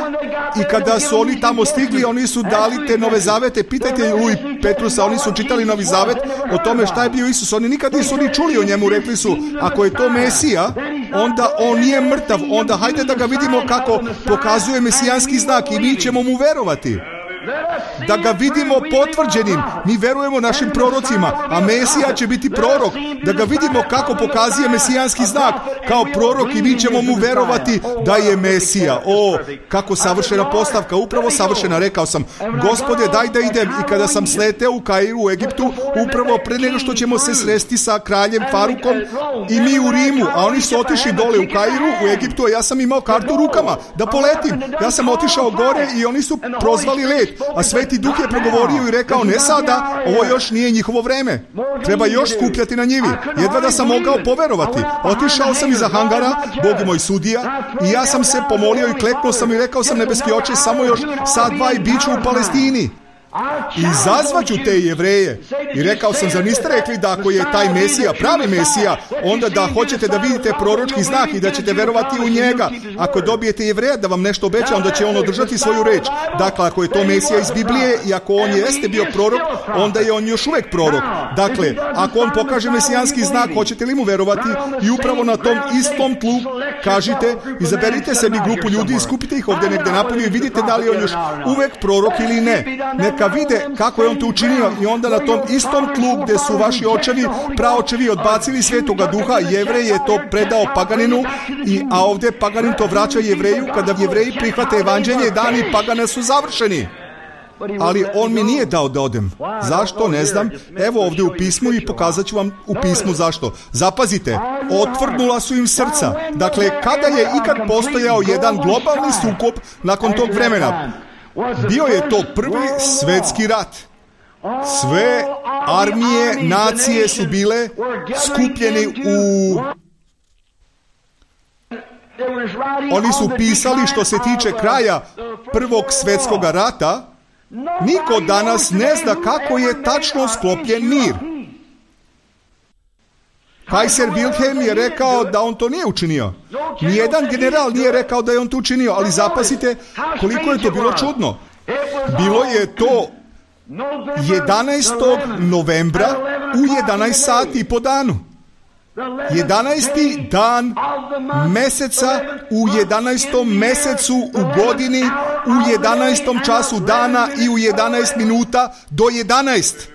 i kada su oni tamo stigli, oni su dali te nove zavete. Pitajte Luj Petrusa, oni su čitali Novi zavet o tome šta je bio Isus. Oni nikad nisu ni čuli o njemu. Rekli su, ako je to Mesija, onda on nije mrtav, onda hajde da ga vidimo kako pokazuje mesijanski znak i mi ćemo mu verovati. Da ga vidimo potvrđenim. Mi verujemo našim prorocima, a Mesija će biti prorok. Da ga vidimo kako pokazuje mesijanski znak kao prorok i mi ćemo mu verovati da je Mesija. O, kako savršena postavka, upravo savršena. Rekao sam, Gospode, daj da idem. I kada sam sleteo u Kairu, u Egiptu, upravo pre nego što ćemo se sresti sa kraljem Farukom i mi u Rimu, a oni su otišli dole u Kairu, u Egiptu, a ja sam imao kartu u rukama da poletim. Ja sam otišao gore i oni su prozvali let. a Sveti Duh je progovorio i rekao, ne sada, ovo još nije njihovo vreme. Treba još skupljati na njivi. Jedva da sam mogao poverovati. Otišao sam iza hangara, Bog je moj sudija, i ja sam se pomolio i kleknuo sam i rekao sam, nebeski oče, samo još sat, dva i bit ću u Palestini. I zazvaću te Jevreje. I rekao sam, zar niste rekli da ako je taj Mesija, pravi Mesija, onda da hoćete da vidite proročki znak i da ćete verovati u njega. Ako dobijete Jevreja da vam nešto obeća, onda će on održati svoju reč. Dakle, ako je to Mesija iz Biblije i ako on jeste bio prorok, onda je on još uvek prorok. Dakle, ako on pokaže mesijanski znak, hoćete li mu verovati? I upravo na tom istom tlu kažite, izaberite sebi grupu ljudi i skupite ih ovdje negde napolju i vidite da li je on još uvek prorok ili ne. Neka vide kako je on to učinio i onda na tom istom tlu gde su vaši očevi, praočevi odbacili Svetoga Duha, Jevrej je to predao paganinu, i, a ovdje paganin to vraća Jevreju. Kada Jevreji prihvate evanđelje, dani pagana su završeni. Ali on mi nije dao da odem. Zašto? Ne znam. Evo ovdje u pismu i pokazat ću vam u pismu zašto. Zapazite, otvrnula su im srca. Dakle, kada je ikad postojao jedan globalni sukob nakon tog vremena? Bio je to prvi svetski rat. Sve armije, nacije su bile skupljeni u... Oni su pisali što se tiče kraja prvog svetskog rata. Niko danas ne zna kako je tačno sklopljen mir. Kajser Wilhelm je rekao da on to nije učinio. Nijedan general nije rekao da je on to učinio, ali zapazite koliko je to bilo čudno. Bilo je to jedanaestog novembra u jedanaest sati po danu. jedanaesti dan meseca u jedanaestom mesecu u godini u jedanaestom času dana i u jedanaest minuta do jedanaest.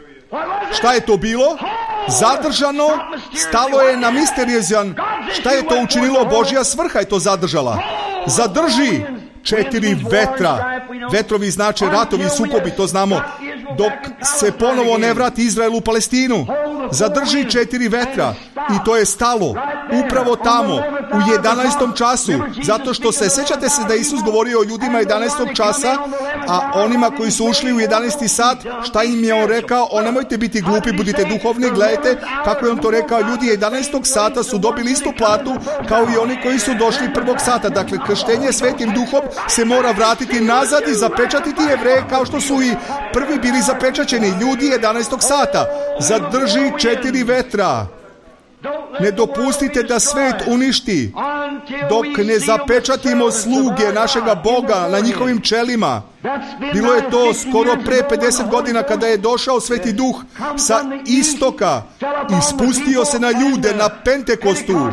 Šta je to bilo? Zadržano, stalo je na misteriozan. Šta je to učinilo? Božja svrha je to zadržala. Zadrži četiri vetra. Vetrovi znače ratovi, sukobi, to znamo. Dok se ponovo ne vrati Izrael u Palestinu. Zadrži četiri vetra. I to je stalo. Upravo tamo, u jedanaestom času. Zato što se, sećate se da Isus govorio o ljudima jedanaestog časa, a onima koji su ušli u jedanaesti sat, šta im je on rekao? O, nemojte biti glupi, budite duhovni, gledajte kako je on to rekao. Ljudi jedanaestog sata su dobili istu platu kao i oni koji su došli prvog sata. Dakle, krštenje Svetim Duhom se mora vratiti nazad i zapečatiti Jevreje kao što su i prvi bili zapečaćeni. Ljudi jedanaestog sata. Zadrži četiri vetra. Ne dopustite da svet uništi dok ne zapečatimo sluge našega Boga na njihovim čelima. Bilo je to skoro pre pedeset godina kada je došao Sveti Duh sa istoka i spustio se na ljude na Pentekostu,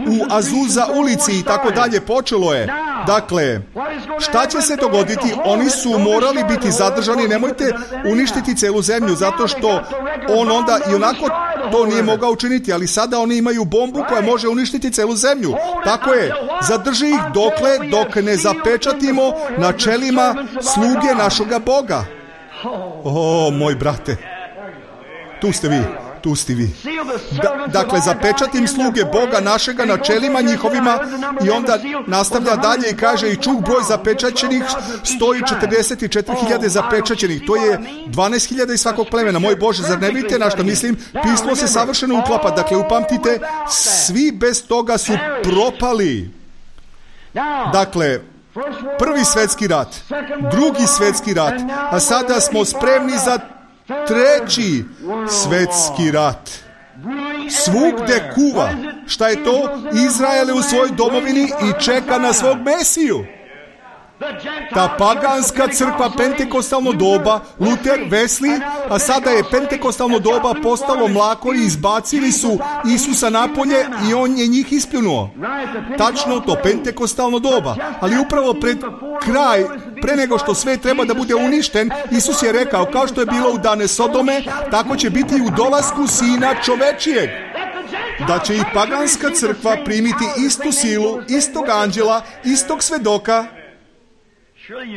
u Azuza ulici i tako dalje. Počelo je. Dakle, šta će se dogoditi? Oni su morali biti zadržani. Nemojte uništiti celu zemlju, zato što on onda i onako to nije mogao učiniti, ali sada oni imaju bombu koja može uništiti celu zemlju. Tako je. Zadrži ih dokle dok ne zapečatimo na čelima sluge našoga Boga. O, moj brate, tu ste vi, tu ste vi. Da, dakle, zapečatim sluge Boga našega na čelima njihovima i onda nastavlja dalje i kaže i čuh broj zapečaćenih sto četrdeset četiri hiljade zapečaćenih. To je dvanaest hiljada iz svakog plemena. Moj Bože, zar ne vidite na što mislim? Pismo se savršeno uklapa. Dakle, upamtite, svi bez toga su propali. Dakle, prvi svetski rat, drugi svetski rat, a sada smo spremni za treći svetski rat. Svugde kuva. Šta je to? Izrael je u svojoj domovini i čeka na svog Mesiju. Ta paganska crkva, pentekostalno doba, Luter, Wesley, a sada je pentekostalno doba postalo mlako i izbacili su Isusa napolje i on je njih ispljunuo. Tačno to, pentekostalno doba. Ali upravo pred kraj, pre nego što sve treba da bude uništen, Isus je rekao, kao što je bilo u dane Sodome, tako će biti i u dolasku Sina čovečijeg. Da će i paganska crkva primiti istu silu, istog anđela, istog svedoka.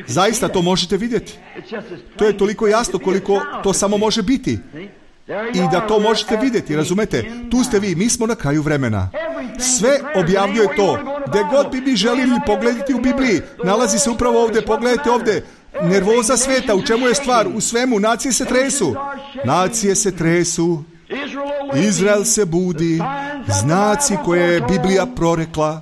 Zaista to možete vidjeti. To je toliko jasno koliko to samo može biti. I da to možete vidjeti, razumete? Tu ste vi, mi smo na kraju vremena. Sve objavljuje to. Gde god bi mi želili pogledati u Bibliji, nalazi se upravo ovdje, pogledajte ovdje. nervoza sveta, u čemu je stvar? U svemu, nacije se tresu. Nacije se tresu. Izrael se budi, znaci koje je Biblija prorekla,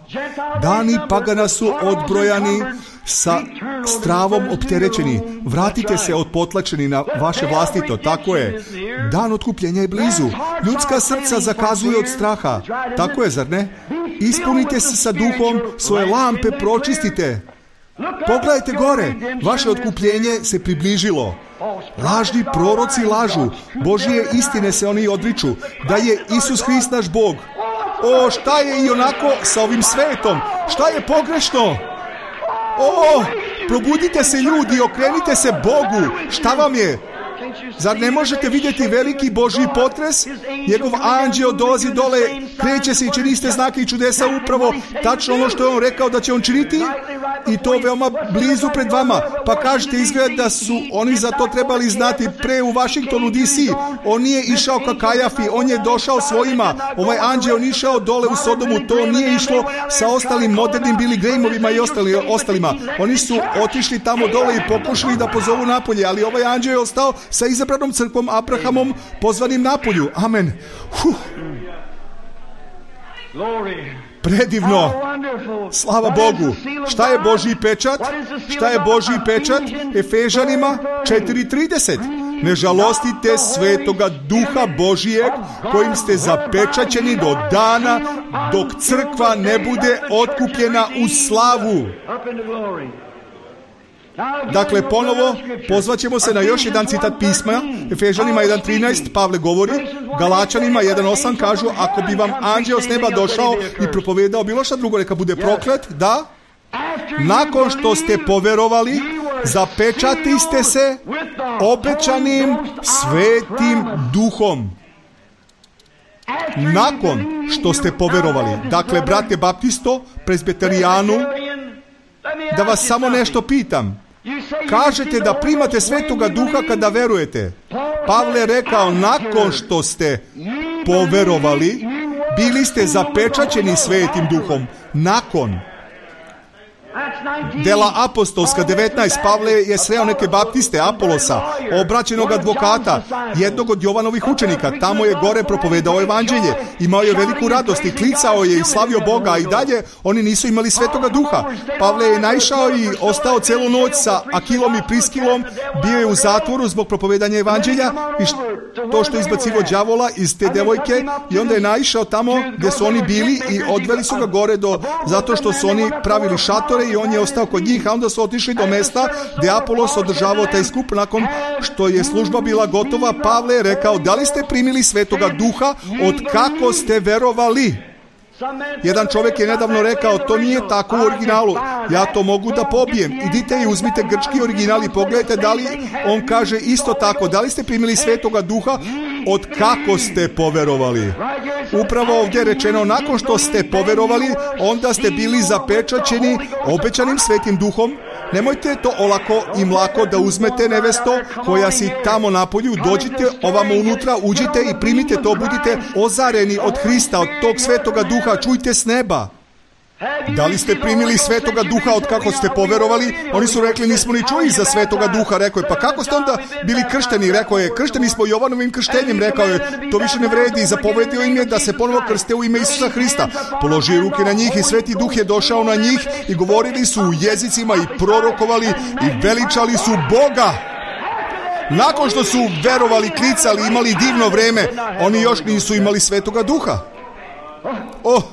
dani pagana su odbrojani, sa stravom opterećeni. Vratite se odpotlačeni na vaše vlastito, tako je. Dan otkupljenja je blizu. Ljudska srca zakazuju od straha. Tako je, zar ne? Ispunite se sa duhom, svoje lampe pročistite. Pogledajte gore, vaše otkupljenje se približilo. Lažni proroci lažu, Božije istine se oni odriču, da je Isus Hrist naš Bog. O, šta je i onako sa ovim svetom? Šta je pogrešno? O, probudite se ljudi, okrenite se Bogu. Šta vam je? Zar ne možete vidjeti veliki Božji potres? Njegov anđeo dolazi dole, kreće se i čini ste znake i čudesa, upravo tačno ono što je on rekao da će on činiti, i to veoma blizu pred vama. Pa kažete, izgleda da su oni za to trebali znati pre u Washingtonu D C. On nije išao ka Kajafi, on je došao svojima. Ovaj anđeo on išao dole u Sodomu, to nije išlo sa ostalim modernim Billy Grahamovima i ostali, ostalima. Oni su otišli tamo dole i pokušali da pozovu napolje, ali ovaj anđeo je ostao sa izabranom crkvom Abrahamom pozvanim napolju. Amen. Huh. Predivno. Slava Bogu. Šta je Božji pečat? Šta je Božji pečat? Efežanima četiri trideset. Ne žalostite Svetoga Duha Božijeg kojim ste zapečaćeni do dana dok crkva ne bude otkupljena u slavu. Dakle, ponovo pozvaćemo se na još jedan citat pisma. Efežanima jedan trinaest Pavle govori, Galačanima jedan osam kažu, ako bi vam anđeo s neba došao i propovedao bilo šta drugo, neka bude proklet, da, nakon što ste poverovali, zapečatiste se obećanim svetim duhom. Nakon što ste poverovali. Dakle, brate Baptisto, presbiterijanu, da vas samo nešto pitam. Kažete da primate Svetoga Duha kada verujete. Pavle je rekao, nakon što ste poverovali, bili ste zapečaćeni Svetim Duhom. Nakon. Dela apostolska devetnaest. Pavle je sreo neke baptiste, Apolosa, obraćenog advokata, jednog od Jovanovih učenika. Tamo je gore propovedao evanđelje. Imao je veliku radost i klicao je i slavio Boga, a i dalje oni nisu imali Svetoga Duha. Pavle je naišao i ostao celu noć sa Akilom i Priskilom, bio je u zatvoru zbog propovedanja evanđelja i to što je izbacivo đavola iz te devojke, i onda je naišao tamo gdje su oni bili i odveli su ga gore do, zato što su oni pravili šatore i on je ostao kod njih, a onda su otišli do mesta gdje Apolos održavao taj skup. Nakon što je služba bila gotova, Pavle je rekao, da li ste primili Svetoga Duha od kako ste verovali? Jedan čovjek je nedavno rekao, to nije tako u originalu, ja to mogu da pobijem. Idite i uzmite grčki original i pogledajte da li on kaže isto tako, da li ste primili Svetoga Duha od kako ste poverovali. Upravo ovdje je rečeno, nakon što ste poverovali, onda ste bili zapečaćeni obećanim Svetim Duhom. Nemojte to olako i mlako da uzmete, nevesto koja si tamo napolju, dođite ovamo unutra, uđite i primite to, budite ozareni od Hrista, od tog Svetoga Duha, čujte s neba. Da li ste primili Svetoga Duha od kako ste poverovali? Oni su rekli, nismo ni čuli za Svetoga Duha. Rekao je, pa kako ste onda bili kršteni? Rekao je, kršteni smo Jovanovim krštenjem. Rekao je, to više ne vredi. Zapovedio im je da se ponovo krste u ime Isusa Hrista. Položio ruke na njih i Sveti Duh je došao na njih i govorili su u jezicima i prorokovali i veličali su Boga. Nakon što su verovali, klicali, imali divno vreme, oni još nisu imali Svetoga Duha. Oh!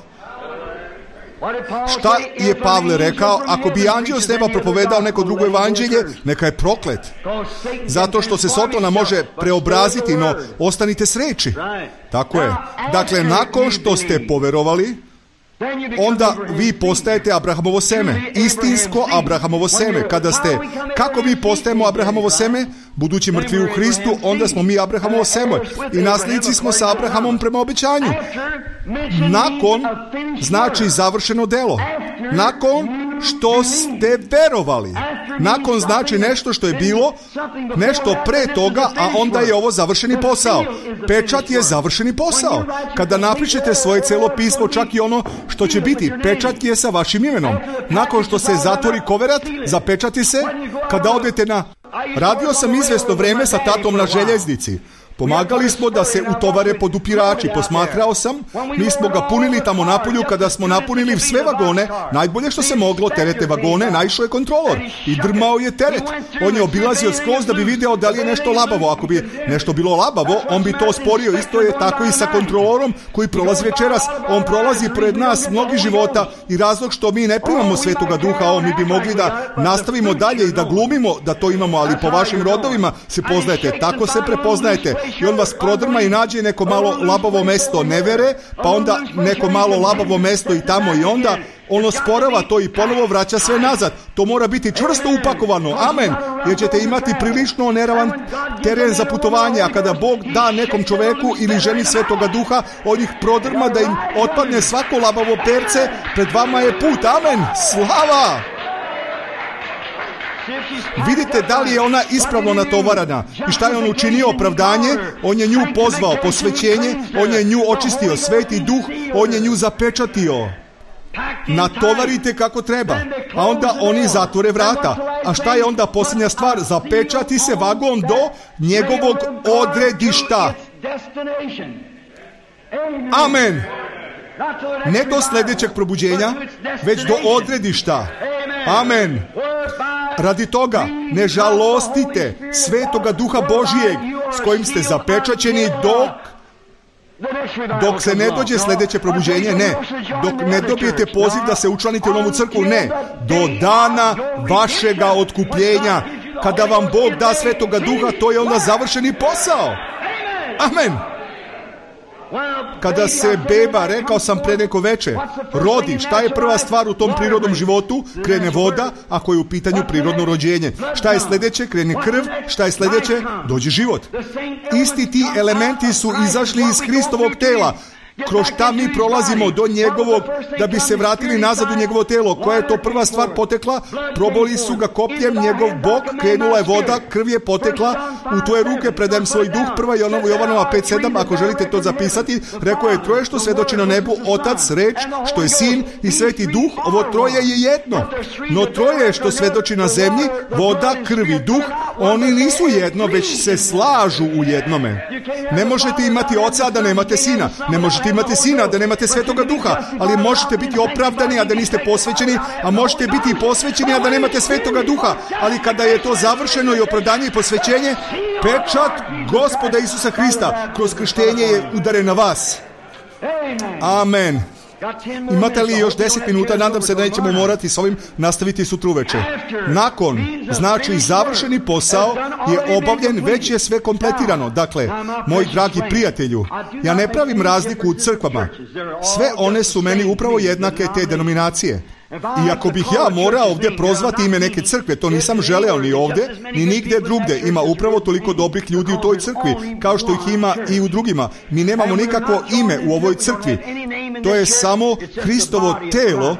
Šta je Pavle rekao? Ako bi anđeo s neba propovedao neko drugo evanđelje, neka je proklet. Zato što se Sotona može preobraziti, no ostanite s reči. Tako je. Dakle, nakon što ste poverovali, onda vi postajete Abrahamovo seme. Istinsko Abrahamovo seme. Kada ste, kako mi postajemo Abrahamovo seme? Budući mrtvi u Hristu, onda smo mi Abrahamovo seme. I nasljednici smo sa Abrahamom prema obećanju. Nakon znači završeno delo. Nakon što ste verovali. Nakon znači nešto što je bilo, nešto pre toga, a onda je ovo završeni posao. Pečat je završeni posao. Kada napišete svoje celo pismo, čak i ono što će biti, pečat je sa vašim imenom. Nakon što se zatvori koverat, zapečati se. Kada odete na... Radio sam izvesno vreme sa tatom na željeznici. Pomagali smo da se utovare podupirači. Posmatrao sam, mi smo ga punili tamo napolju. Kada smo napunili sve vagone, najbolje što se moglo, terete vagone, naišao je kontrolor i drmao je teret. On je obilazio skroz da bi video da li je nešto labavo. Ako bi nešto bilo labavo, on bi to osporio. Isto je tako i sa kontrolorom koji prolazi večeras. On prolazi pored nas mnogi života i razlog što mi ne primamo Svetoga Duha, on mi bi mogli da nastavimo dalje i da glumimo da to imamo, ali po vašim rodovima se poznajete, tako se prepoznajete. I on vas prodrma i nađe neko malo labavo mesto nevere, pa onda neko malo labavo mesto i tamo i onda on osporava to i ponovo vraća sve nazad. To mora biti čvrsto upakovano. Amen. Jer ćete imati prilično neravan teren za putovanje, a kada Bog da nekom čoveku ili ženi Svetoga Duha, on ih prodrma da im otpadne svako labavo perce, pred vama je put. Amen. Slava! Vidite da li je ona ispravno natovarana i šta je on učinio, opravdanje, on je nju pozvao, posvećenje, on je nju očistio, Sveti Duh, on je nju zapečatio. Natovarite kako treba, a onda oni zatvore vrata. A šta je onda posljednja stvar? Zapečati se vagon do njegovog odredišta. Amen. Ne do sljedećeg probuđenja, već do odredišta. Amen. Radi toga ne žalostite Svetoga Duha Božijeg s kojim ste zapečaćeni dok dok se ne dođe sljedeće probuđenje, ne. Dok ne dobijete poziv da se učlanite u novu crkvu, ne. Do dana vašega otkupljenja. Kada vam Bog da Svetoga Duha, to je onda završeni posao. Amen. Kada se beba, rekao sam pre neko veče, rodi, šta je prva stvar u tom prirodnom životu? Krene voda, ako je u pitanju prirodno rođenje. Šta je sljedeće? Krene krv. Šta je sljedeće? Dođe život. Isti ti elementi su izašli iz Hristovog tela. Kroz šta mi prolazimo do njegovog, da bi se vratili nazad u njegovo telo. Koja je to prva stvar potekla? Proboli su ga kopljem njegov bok, krenula je voda, krv je potekla, u tvoje ruke predajem svoj duh. Prva Jovanova pet sedam, ako želite to zapisati, rekao je troje što svedoči na nebu, Otac, reč, što je Sin i Sveti Duh, ovo troje je jedno. No troje što svedoči na zemlji, voda, krv i duh, oni nisu jedno, već se slažu u jednome. Ne možete imati Oca, a da nemate Sina. Ne možete imate Sina, da nemate Svetoga Duha, ali možete biti opravdani, a da niste posvećeni, a možete biti i posvećeni, a da nemate Svetoga Duha. Ali kada je to završeno i opravdanje i posvećenje, pečat Gospoda Isusa Hrista kroz krštenje je udaren na vas. Amen. Imate li još deset minuta? Nadam se da nećemo morati s ovim nastaviti sutra uveče. Nakon, znači završeni posao je obavljen, već je sve kompletirano. Dakle, moj dragi prijatelju, ja ne pravim razliku u crkvama. Sve one su meni upravo jednake, te denominacije. I ako bih ja morao ovdje prozvati ime neke crkve, to nisam želeo ni ovdje, ni nigdje drugdje. Ima upravo toliko dobrih ljudi u toj crkvi, kao što ih ima i u drugima. Mi nemamo nikakvo ime u ovoj crkvi. To je samo Hristovo telo,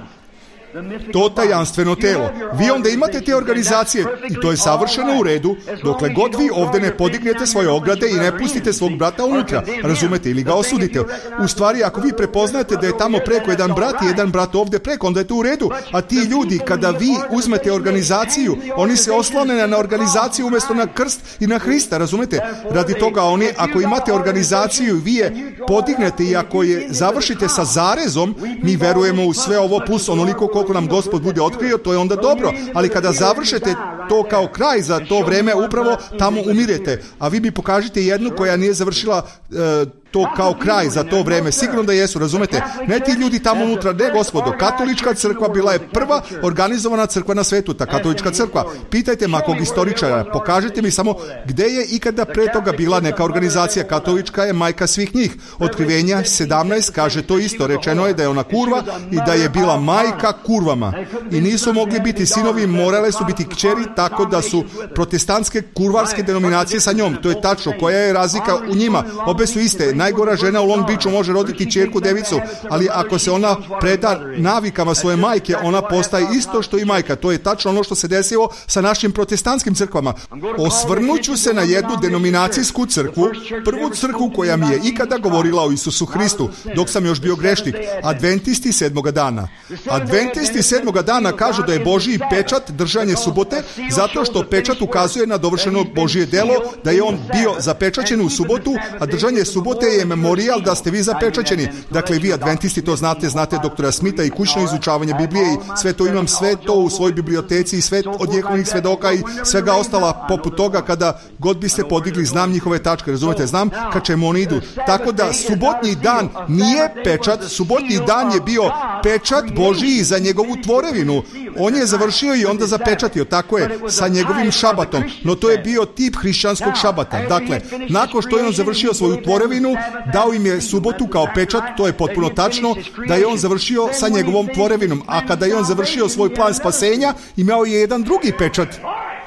to tajanstveno telo. Vi onda imate te organizacije i to je savršeno u redu, dokle god vi ovdje ne podignete svoje ograde i ne pustite svog brata unutra, razumete, ili ga osudite. U stvari, ako vi prepoznate da je tamo preko jedan brat i jedan brat ovdje preko, onda je to u redu. A ti ljudi, kada vi uzmete organizaciju, oni se oslone na organizaciju umjesto na krst i na Hrista, razumete? Radi toga oni, ako imate organizaciju i vi je podignete i ako je završite sa zarezom, mi verujemo u sve ovo plus onoliko koliko nam Gospod bude otkrio, to je onda dobro. Ali kada završete to kao kraj za to vreme, upravo tamo umirete. A vi mi pokažite jednu koja nije završila e, to kao kraj za to vreme. Sigurno da jesu, razumete? Ne ti ljudi tamo unutra, ne gospodo. Katolička crkva bila je prva organizovana crkva na svetu, ta katolička crkva. Pitajte makog istoričara, pokažite mi samo gde je ikada pre toga bila neka organizacija. Katolička je majka svih njih. Otkrivenja sedamnaest kaže to isto. Rečeno je da je ona kurva i da je bila majka kurvama. I nisu mogli biti sinovi, morale su biti kćeri, tako da su protestantske kurvarske denominacije sa njom. To je tačno. Koja je razlika u njima? Obe su iste. Najgora žena u Long Beachu može roditi ćerku devicu, ali ako se ona preda navikama svoje majke, ona postaje isto što i majka. To je tačno ono što se desilo sa našim protestantskim crkvama. Osvrnuću se na jednu denominacijsku crkvu, prvu crkvu koja mi je ikada govorila o Isusu Hristu, dok sam još bio grešnik. Adventisti sedmoga dana. Adventisti sedmoga dana kažu da je Božji pečat držanje subote, zato što pečat ukazuje na dovršeno Božje delo, da je on bio zapečaćen u subotu, a držanje subote je memorijal da ste vi zapečaćeni. Dakle, vi adventisti to znate, znate doktora Smitha i kućno izučavanje Biblije i sve to imam, sve to u svojoj biblioteci i sve od Jehovnih svedoka i svega ostala poput toga kada god biste podigli, znam njihove tačke, razumete, znam ka čemu oni idu. Tako da subotnji dan nije pečat, subotnji dan je bio pečat Božiji za njegovu tvorevinu. On je završio i onda zapečatio, tako je, sa njegovim šabatom, no to je bio tip hrišćanskog šabata. Dakle, nakon što je on završio svoju tvorevinu, dao im je subotu kao pečat, to je potpuno tačno, da je on završio sa njegovom tvorevinom, a kada je on završio svoj plan spasenja, imao je jedan drugi pečat.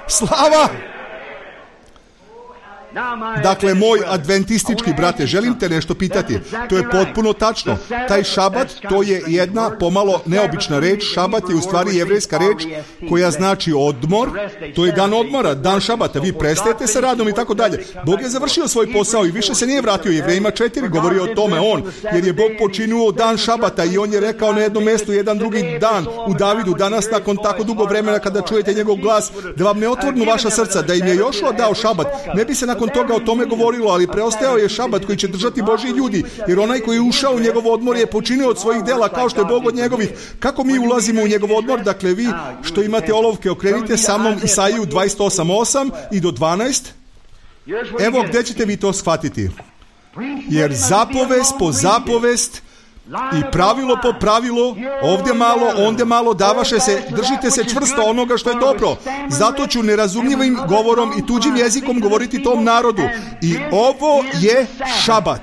Slava! Dakle, moj adventistički brate, želim te nešto pitati. To je potpuno tačno. Taj šabat, to je jedna pomalo neobična reč. Šabat je u stvari jevrejska reč koja znači odmor. To je dan odmora, dan šabata. Vi prestajete sa radom i tako dalje. Bog je završio svoj posao i više se nije vratio. Jevrejima četiri govori o tome on, jer je Bog počinuo dan šabata i on je rekao na jednom mjestu jedan drugi dan u Davidu, danas nakon tako dugo vremena kada čujete njegov glas, da vam ne otvornu vaša srca, da im je Jošua dao šabat. Ne bi se nakon toga o tome govorilo, ali preostao je šabat koji će držati Božji ljudi, jer onaj koji je ušao u njegov odmor je počinio od svojih dela kao što je Bog od njegovih. Kako mi ulazimo u njegov odmor? Dakle, vi što imate olovke, okrenite sa mnom Isaiju dvadeset osam osam i do dvanaest. Evo gdje ćete vi to shvatiti. Jer zapovest po zapovest i pravilo po pravilo, ovdje malo, ondje malo, davaše se, držite se čvrsto onoga što je dobro. Zato ću nerazumljivim govorom i tuđim jezikom govoriti tom narodu. I ovo je šabat.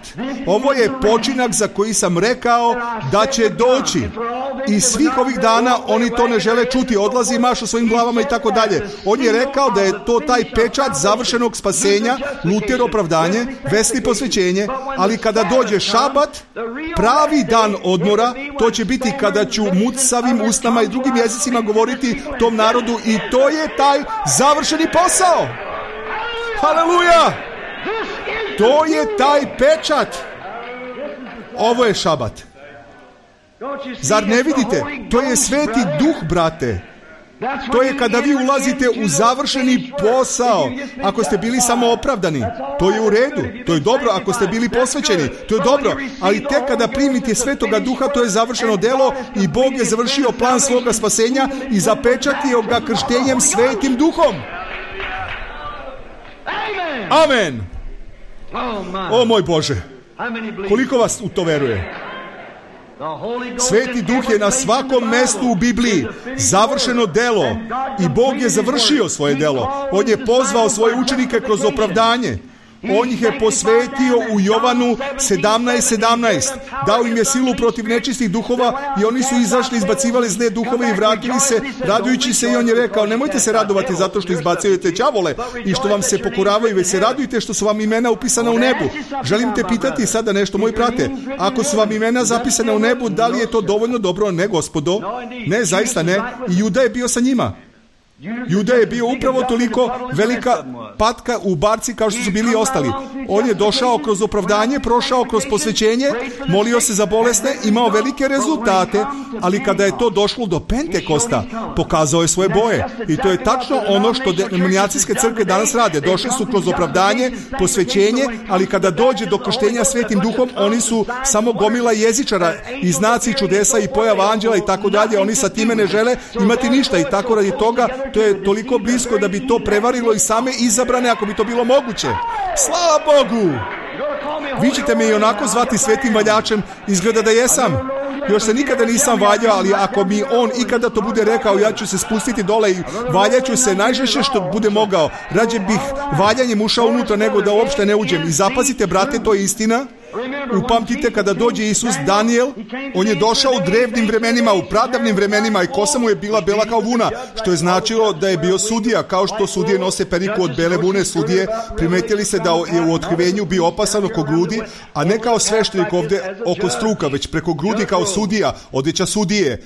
Ovo je počinak za koji sam rekao da će doći. I svih ovih dana oni to ne žele čuti, odlazi i mašu svojim glavama i tako dalje. On je rekao da je to taj pečat završenog spasenja, Luter opravdanje, Wesley posvećenje, ali kada dođe šabat, pravi dan odmora, to će biti kada ću mucavim usnama i drugim jezicima govoriti tom narodu i to je taj završeni posao. Haleluja! To je taj pečat. Ovo je šabat. Zar ne vidite? To je sveti duh, brate. To je kada vi ulazite u završeni posao. Ako ste bili samo opravdani, to je u redu, to je dobro. Ako ste bili posvećeni, to je dobro. Ali tek kada primite Svetoga Duha, to je završeno delo i Bog je završio plan svoga spasenja i zapečatio ga krštenjem Svetim Duhom. Amen. O moj Bože, koliko vas u to veruje? Sveti Duh je na svakom mjestu u Bibliji završeno delo i Bog je završio svoje delo. On je pozvao svoje učenike kroz opravdanje. On ih je posvetio u Jovanu sedamnaest sedamnaest. Dao im je silu protiv nečistih duhova i oni su izašli, izbacivali zle duhove i vratili se, radujući se, i on je rekao, nemojte se radovati zato što izbacujete đavole i što vam se pokoravaju, već se radujte što su vam imena upisana u nebu. Želim te pitati sada nešto, moj brate. Ako su vam imena zapisane u nebu, da li je to dovoljno dobro? Ne, gospodo. Ne, zaista ne. I Juda je bio sa njima. Juda je bio upravo toliko velika patka u barci kao što su bili ostali. On je došao kroz opravdanje, prošao kroz posvećenje, molio se za bolesne, imao velike rezultate, ali kada je to došlo do Pentekosta, pokazao je svoje boje. I to je tačno ono što denominacijske crkve danas rade. Došli su kroz opravdanje, posvećenje, ali kada dođe do krštenja Svetim Duhom, oni su samo gomila jezičara i znaci čudesa i pojava anđela i tako dalje. Oni sa time ne žele imati ništa i tako radi toga to je toliko blisko da bi to prevarilo i same izabrane ako bi to bilo moguće. Slava Bogu! Vi ćete me i onako zvati svetim valjačem, izgleda da jesam. Još se nikada nisam valjao, ali ako mi on ikada to bude rekao, ja ću se spustiti dole i valjaću se najžešće što bude mogao. Rađe bih valjanjem ušao unutra nego da uopšte ne uđem. I zapazite, brate, to je istina. upamtite kada dođe Isus, Danijel, on je došao u drevnim vremenima, u pradavnim vremenima i kosa mu je bila bela kao vuna, što je značilo da je bio sudija, kao što sudije nose periku od bele vune. Sudije primetili se da je u otkrivenju bio opasan oko grudi, a ne kao sveštenik ovde oko struka, već preko grudi kao sudija, odeća sudije.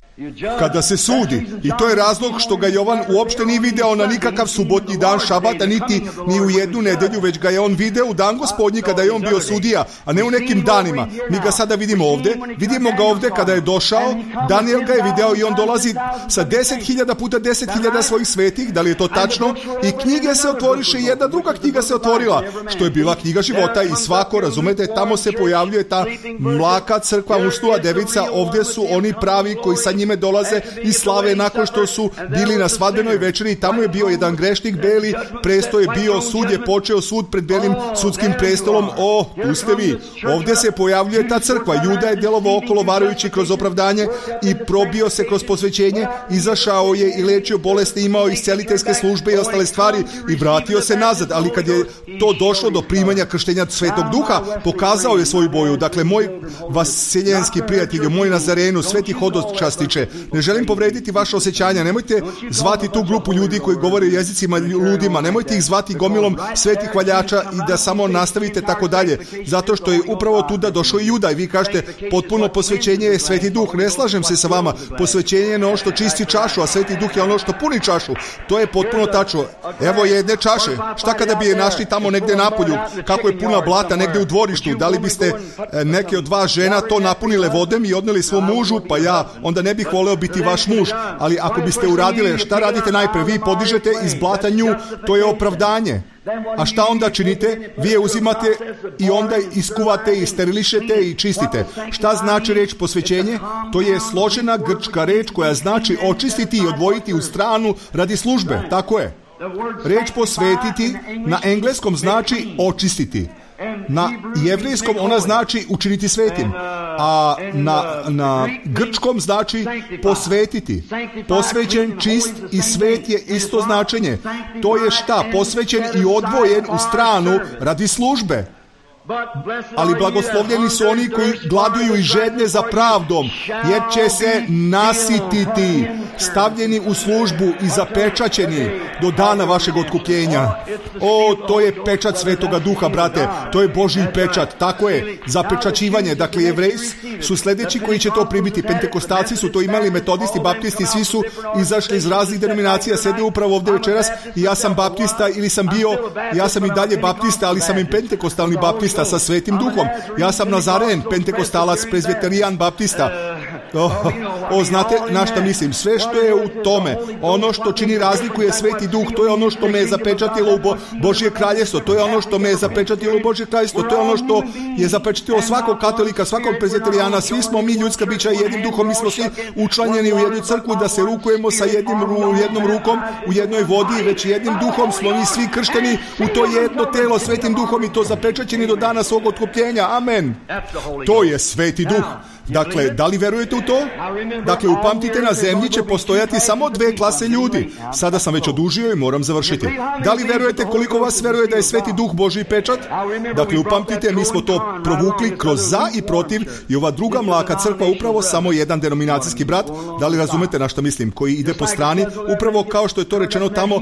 Kada se sudi, i to je razlog što ga Jovan uopšte nije video na nikakav subotnji dan šabata, niti ni u jednu nedelju, već ga je on video u dan Gospodnji kada je on bio sudija, a ne u nekim danima. Mi ga sada vidimo ovde, vidimo ga ovde kada je došao, Danijel ga je video i on dolazi sa deset hiljada puta deset hiljada svojih svetih, da li je to tačno? I knjige se otvoriše i jedna druga knjiga se otvorila, što je bila knjiga života i svako, razumete, tamo se pojavljuje ta mlaka crkva, usnula devica, ovde su oni pravi koji sa njime dolaze i slave nakon što su bili na svadbenoj večeri i tamo je bio jedan grešnik beli, presto je bio, sud je počeo, sud pred belim sudskim prestolom. O, tu ste vi. Ovde se pojavljuje ta crkva. Juda je delovao okolo varajući kroz opravdanje i probio se kroz posvećenje, izašao je i lečio bolesti, imao isceliteljske službe i ostale stvari i vratio se nazad, ali kad je to došlo do primanja krštenja Svetog Duha, pokazao je svoju boju. Dakle, moj vaseljenski prijatelju, moj Nazarenu, sveti hodočastiče, ne želim povrediti vaše osjećanja, nemojte zvati tu grupu ljudi koji govore jezicima ludima, nemojte ih zvati gomilom svetih hvaljača i da samo nastavite tako dalje, zato što je upravo tuda došao i Juda i vi kažete potpuno posvećenje je Sveti Duh. Ne slažem se sa vama, posvećenje je ono što čisti čašu, a Sveti Duh je ono što puni čašu. To je potpuno tačno. Evo jedne čaše, šta kada bi je našli tamo negde napolju, kako je puna blata negde u dvorištu, da li biste neke od vas žena to napunile vodem i odneli svom mužu? Pa ja onda ne bih voleo biti vaš muž, ali ako biste uradile, šta radite najpre? Vi podižete iz blata nju, to je opravdanje. A šta onda činite? Vi je uzimate i onda iskuvate i sterilišete i čistite. Šta znači reč posvećenje? To je složena grčka reč koja znači očistiti i odvojiti u stranu radi službe. Tako je. Reč posvetiti na engleskom znači očistiti. Na jevrejskom ona znači učiniti svetim, a na, na grčkom znači posvetiti. Posvećen, čist i svet je isto značenje. To je šta? Posvećen i odvojen u stranu radi službe. Ali blagoslovljeni su oni koji gladuju i žedne za pravdom, jer će se nasititi, stavljeni u službu i zapečaćeni do dana vašeg otkupljenja. O, to je pečat Svetoga Duha, brate, to je Božji pečat, tako je, zapečaćivanje. Dakle, Jevreji su sledeći koji će to primiti, Pentekostalci su to imali, metodisti, baptisti, svi su izašli iz raznih denominacija, sede upravo ovde večeras i ja sam baptista ili sam bio, ja sam i dalje baptista, ali sam i pentekostalni baptista sa Svetim Duhom. Ja sam Nazaren, pentekostalac, prezbiterijan, baptista. O, o, znate na šta mislim? Sve što je u tome, ono što čini razliku je Sveti Duh, to je ono što me je zapečatilo u Bo- Božje kraljestvo, to je ono što me je zapečatilo u Božje kraljestvo, to je ono što je zapečatilo svakog katolika, svakog prezbiterijana. Svi smo mi ljudska bića jednim duhom, mi smo svi učlanjeni u jednu crkvu da se rukujemo sa jednim, jednom rukom u jednoj vodi, već jednim duhom smo mi svi kršteni u to jedno telo Svetim Duhom i to zapečaćeni do dana svog otkupljenja. Amen. To je Sveti Duh. Dakle, da li verujete u to? Dakle, upamtite, na zemlji će postojati samo dve klase ljudi. Sada sam već odužio i moram završiti. Da li verujete koliko vas veruje da je Sveti Duh Božji pečat? Dakle, upamtite, mi smo to provukli kroz za i protiv i ova druga mlaka crkva, upravo samo jedan denominacijski brat, da li razumete na što mislim, koji ide po strani, upravo kao što je to rečeno tamo,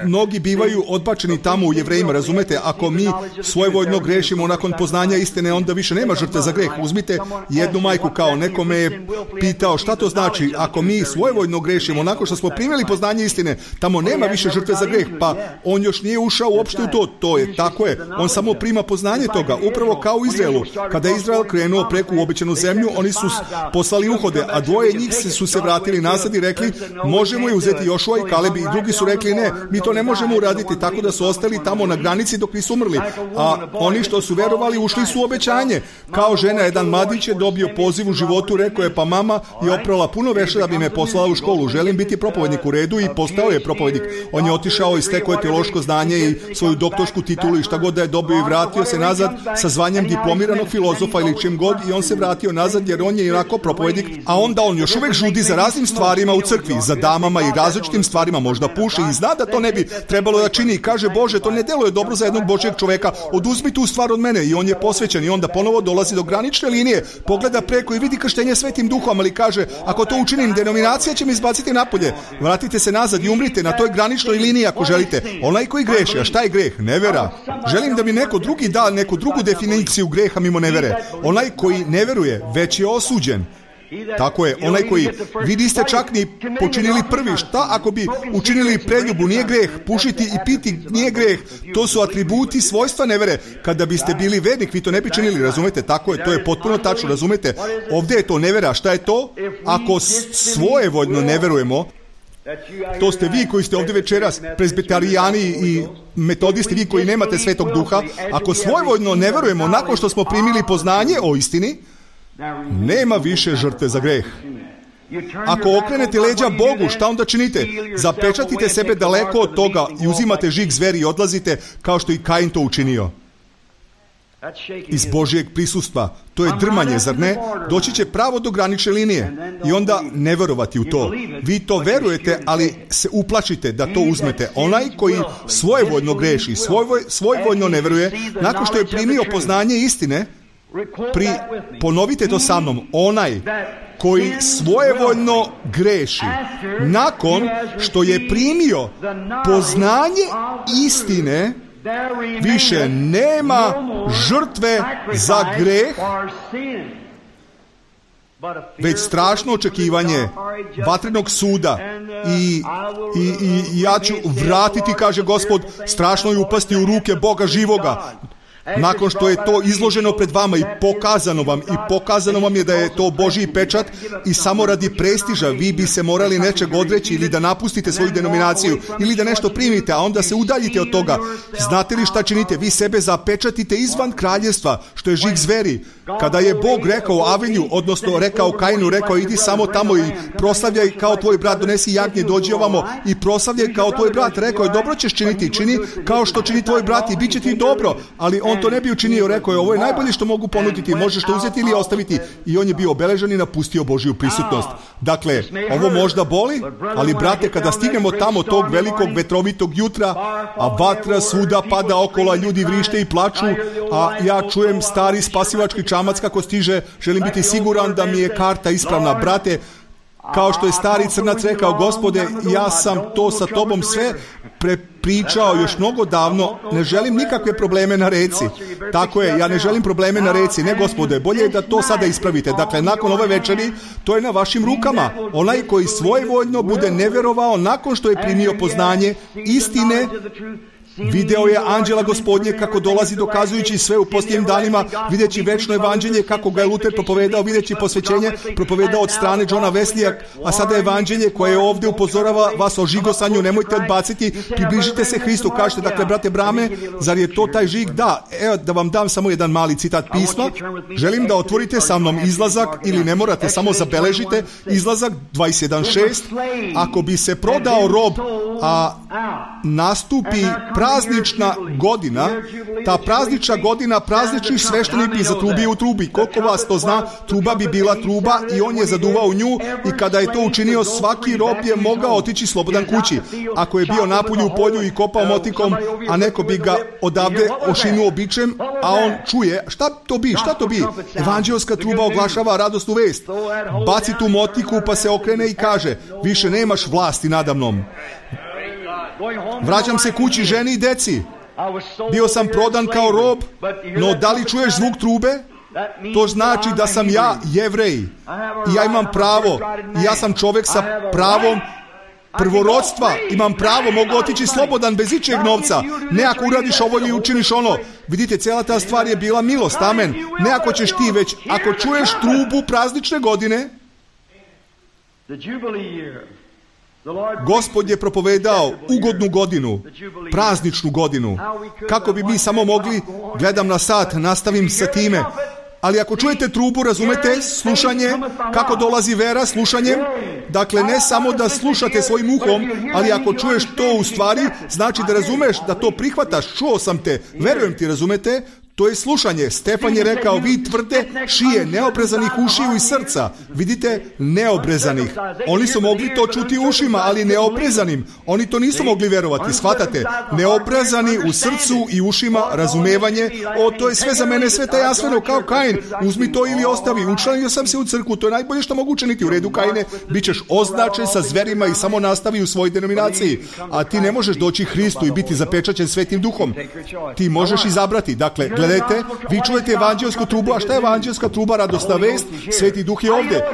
mnogi bivaju odbačeni tamo u Jevrejima, razumete? Ako mi svojevoljno grešimo nakon poznanja istine, onda više nema žrtve za greh. Uzmite jednu majku, kao neko me je pitao šta to znači ako mi svojevoljno grešimo nakon što smo primili poznanje istine, tamo nema više žrtve za greh, pa on još nije ušao uopšte u to. To je, tako je, on samo prima poznanje toga, upravo kao u Izraelu. Kada je Izrael krenuo preko u obećanu zemlju, oni su poslali uhode, a dvoje njih su se vratili nazad i rekli možemo je uzeti Jošua i Kaleb, i drugi su rekli ne, mi to ne možemo uraditi, tako da su ostali tamo na granici dok nisu umrli, a oni što su verovali ušli su u obećanje. Kao žena, jedan mladić je dobio poziv u životu, rekao je pa mama i oprala puno veša da bi me poslala u školu. Želim biti propovednik u redu i postao je propovednik. On je otišao i stekao je teološko znanje i svoju doktorsku titulu i šta god da je dobio i vratio se nazad sa zvanjem diplomiranog filozofa ili čim god i on se vratio nazad jer on je onako propovednik, a onda on još uvek žudi za raznim stvarima u crkvi, za damama i različitim stvarima, možda puši i zna da to ne bi trebalo da čini i kaže Bože, to ne deluje dobro za jednog Božjeg čoveka, oduzmi tu stvar od mene i on je posvećen i onda ponovo dolazi do granične linije, pogleda preko i vidi krštenje Svetim Duhom, ali kaže, ako to učinim, denominacija će me izbaciti napolje. Vratite se nazad i umrite na toj graničnoj liniji ako želite. Onaj koji greši, a šta je greh? Nevera. Želim da mi neko drugi da neku drugu definiciju greha mimo nevere. Onaj koji ne veruje, već je osuđen. Tako je, onaj koji, vi niste čak ni počinili prvi, šta ako bi učinili preljubu, nije greh, pušiti i piti nije greh, to su atributi svojstva nevere. Kada biste bili vernik, vi to ne bi činili, razumete, tako je, to je potpuno tačno, razumete, ovdje je to nevera, šta je to? Ako svojevoljno ne verujemo, to ste vi koji ste ovdje večeras, prezbitarijani i metodisti, vi koji nemate Svetog Duha, ako svojevoljno ne verujemo nakon što smo primili poznanje o istini, nema više žrtve za greh. Ako okrenete leđa Bogu, šta onda činite? Zapečatite sebe daleko od toga i uzimate žig zveri i odlazite kao što i Kain to učinio. Iz Božjeg prisustva. To je drmanje, zar ne? Doći će pravo do granične linije i onda ne verovati u to. Vi to verujete, ali se uplašite da to uzmete. Onaj koji svojevoljno greši, svojvoj, svojvoljno ne veruje, nakon što je primio poznanje istine, Pri, ponovite to sa mnom, onaj koji svojevoljno greši nakon što je primio poznanje istine, više nema žrtve za greh, već strašno očekivanje vatrenog suda i, i, i ja ću vratiti, kaže Gospod, strašno je upasti u ruke Boga živoga. Nakon što je to izloženo pred vama i pokazano vam i pokazano vam je da je to Božji pečat i samo radi prestiža vi bi se morali nečeg odreći ili da napustite svoju denominaciju ili da nešto primite, a onda se udaljite od toga. Znate li šta činite? Vi sebe zapečatite izvan kraljevstva, što je žig zveri. Kada je Bog rekao Avinju, odnosno rekao Kainu, rekao idi samo tamo i proslavljaj kao tvoj brat, donesi jagnje, dođi ovamo i proslavljaj kao tvoj brat. Rekao je, dobro ćeš činiti, čini kao što čini tvoj brat i bit će ti dobro, ali on to ne bi učinio, rekao je, ovo je najbolje što mogu ponuditi, možeš to uzeti ili ostaviti, i on je bio obeležen i napustio Božju prisutnost. Dakle, ovo možda boli, ali brate, kada stignemo tamo tog velikog vetrovitog jutra, a vatra svuda pada okolo, ljudi vrište i plaču, a ja čujem stari spasivački čamac kako stiže, želim biti siguran da mi je karta ispravna. Brate, kao što je stari crnac rekao, Gospode, ja sam to sa tobom sve prepričao još mnogo davno, ne želim nikakve probleme na reci. Tako je, ja ne želim probleme na reci, ne Gospode, bolje je da to sada ispravite. Dakle, nakon ove večeri, to je na vašim rukama. Onaj koji svojevoljno bude neverovao nakon što je primio poznanje istine, video je anđela Gospodnje kako dolazi dokazujući sve u posljednjim danima, videći večno evanđelje kako ga je Luter propovedao, videći posvećenje propovedao od strane Johna Weslija, a sada evanđelje koje ovdje upozorava vas o žigosanju, nemojte odbaciti, približite se Hristu. Kažete, dakle, brate Brame, zar je to taj žig? Da, evo da vam dam samo jedan mali citat pisma. Želim da otvorite sa mnom Izlazak, ili ne morate, samo zabeležite Izlazak dvadeset jedan šest. Ako bi se prodao rob, a nastupi praznična godina, ta praznična godina, praznični sveštenik bi zatrubio u trubi. Koliko vas to zna, truba bi bila truba i on je zaduvao nju i kada je to učinio, svaki rob je mogao otići slobodan kući. Ako je bio napolju u polju i kopao motikom, a neko bi ga odavde ošinuo bičem, a on čuje, šta to bi, šta to bi? Evanđelska truba oglašava radosnu vest. Baci tu motiku pa se okrene i kaže, više nemaš vlasti nadamnom. Vraćam se kući, ženi i deci. Bio sam prodan kao rob, no da li čuješ zvuk trube? To znači da sam ja Jevrej i ja imam pravo. I ja sam čovjek sa pravom prvorodstva. Imam pravo, mogu otići slobodan bez ičijeg novca. Ne ako uradiš ovo ili učiniš ono. Vidite, cijela ta stvar je bila milost, amen. Ne ako ćeš ti, već ako čuješ trubu praznične godine. Gospod je propovedao ugodnu godinu, prazničnu godinu. Kako bi mi samo mogli, gledam na sat, nastavim sa time, Ali ako čujete trubu, razumete, slušanje, kako dolazi vera slušanjem, dakle ne samo da slušate svojim uhom, ali ako čuješ to u stvari, znači da razumeš, da to prihvataš, čuo sam te, verujem ti, razumete, to je slušanje. Stefan je rekao, vi tvrde šije, neobrezanih ušiju i srca. Vidite, neobrezanih. Oni su mogli to čuti ušima, ali neobrezanim. Oni to nisu mogli verovati, shvatate? Neobrezani u srcu i ušima, razumevanje. O, to je sve za mene sve tajanstveno, kao Kain. Uzmi to ili ostavi. Učlanio sam se u crkvu, to je najbolje što mogu učiniti. U redu, Kaine, bit ćeš označen sa zverima i samo nastavi u svojoj denominaciji. A ti ne možeš doći Hristu i biti zapečaćen Svetim Duhom. Ti možeš izabrati. Dakle, gledajte, vi čujete evanđelsku trubu, a šta je evanđelska truba? Radosna vest, Sveti Duh je ovdje.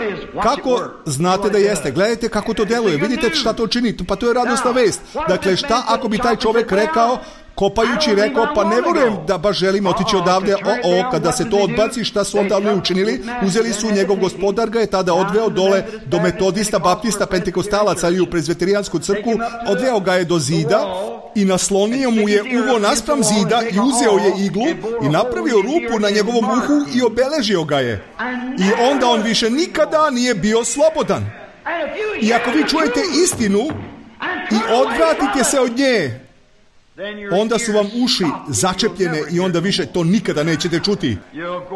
Kako znate da jeste? Gledajte kako to deluje, vidite šta to čini, pa to je radosna vest. Dakle, šta ako bi taj čovjek rekao, kopajući rekao, pa ne vjerujem da baš želim otići odavde, o, o, kada se to odbaci, šta su onda oni učinili? Uzeli su njegov gospodar, ga je tada odveo dole do metodista, baptista, pentekostalaca ili u prezveterijansku crkvu, odveo ga je do zida i naslonio mu je uvo naspram zida i uzeo je iglu i napravio rupu na njegovom uhu i obeležio ga je. I onda on više nikada nije bio slobodan. I ako vi čujete istinu i odvratite se od nje, onda su vam uši začepljene i onda više to nikada nećete čuti.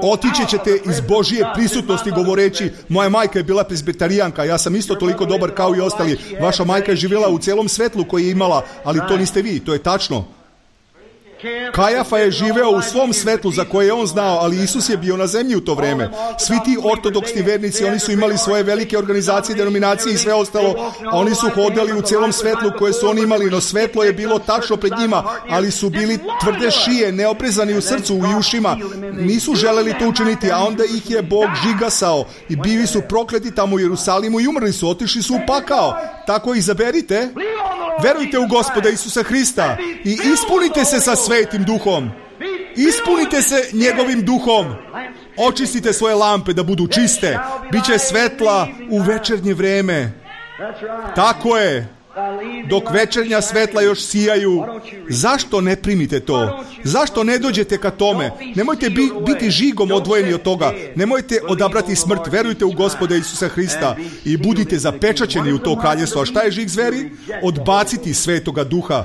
Otići ćete iz Božije prisutnosti govoreći, moja majka je bila prezbitarijanka, ja sam isto toliko dobar kao i ostali. Vaša majka je živjela u celom svetlu koji je imala, ali to niste vi, to je tačno. Kajafa je živeo u svom svetlu za koje je on znao, ali Isus je bio na zemlji u to vrijeme. Svi ti ortodoksni vernici, oni su imali svoje velike organizacije, denominacije i sve ostalo. Oni su hodali u celom svetlu koje su oni imali, no svetlo je bilo tačno pred njima, ali su bili tvrde šije, neoprezani u srcu i ušima. Nisu želeli to učiniti, a onda ih je Bog žigasao i bili su prokleti tamo u Jerusalimu i umrli su, otišli su u pakao. Tako izaberite, verujte u Gospoda Isusa Hrista i ispunite se sa Svetim Duhom. Ispunite se njegovim duhom. Očistite svoje lampe da budu čiste. Biće svetla u večernje vreme. Tako je. Dok večernja svetla još sijaju, zašto ne primite to? Zašto ne dođete ka tome? Nemojte bi, biti žigom odvojeni od toga. Nemojte odabrati smrt. Verujte u Gospoda Isusa Hrista i budite zapečaćeni u to kraljestvo. A šta je žig zveri? Odbaciti Svetoga Duha.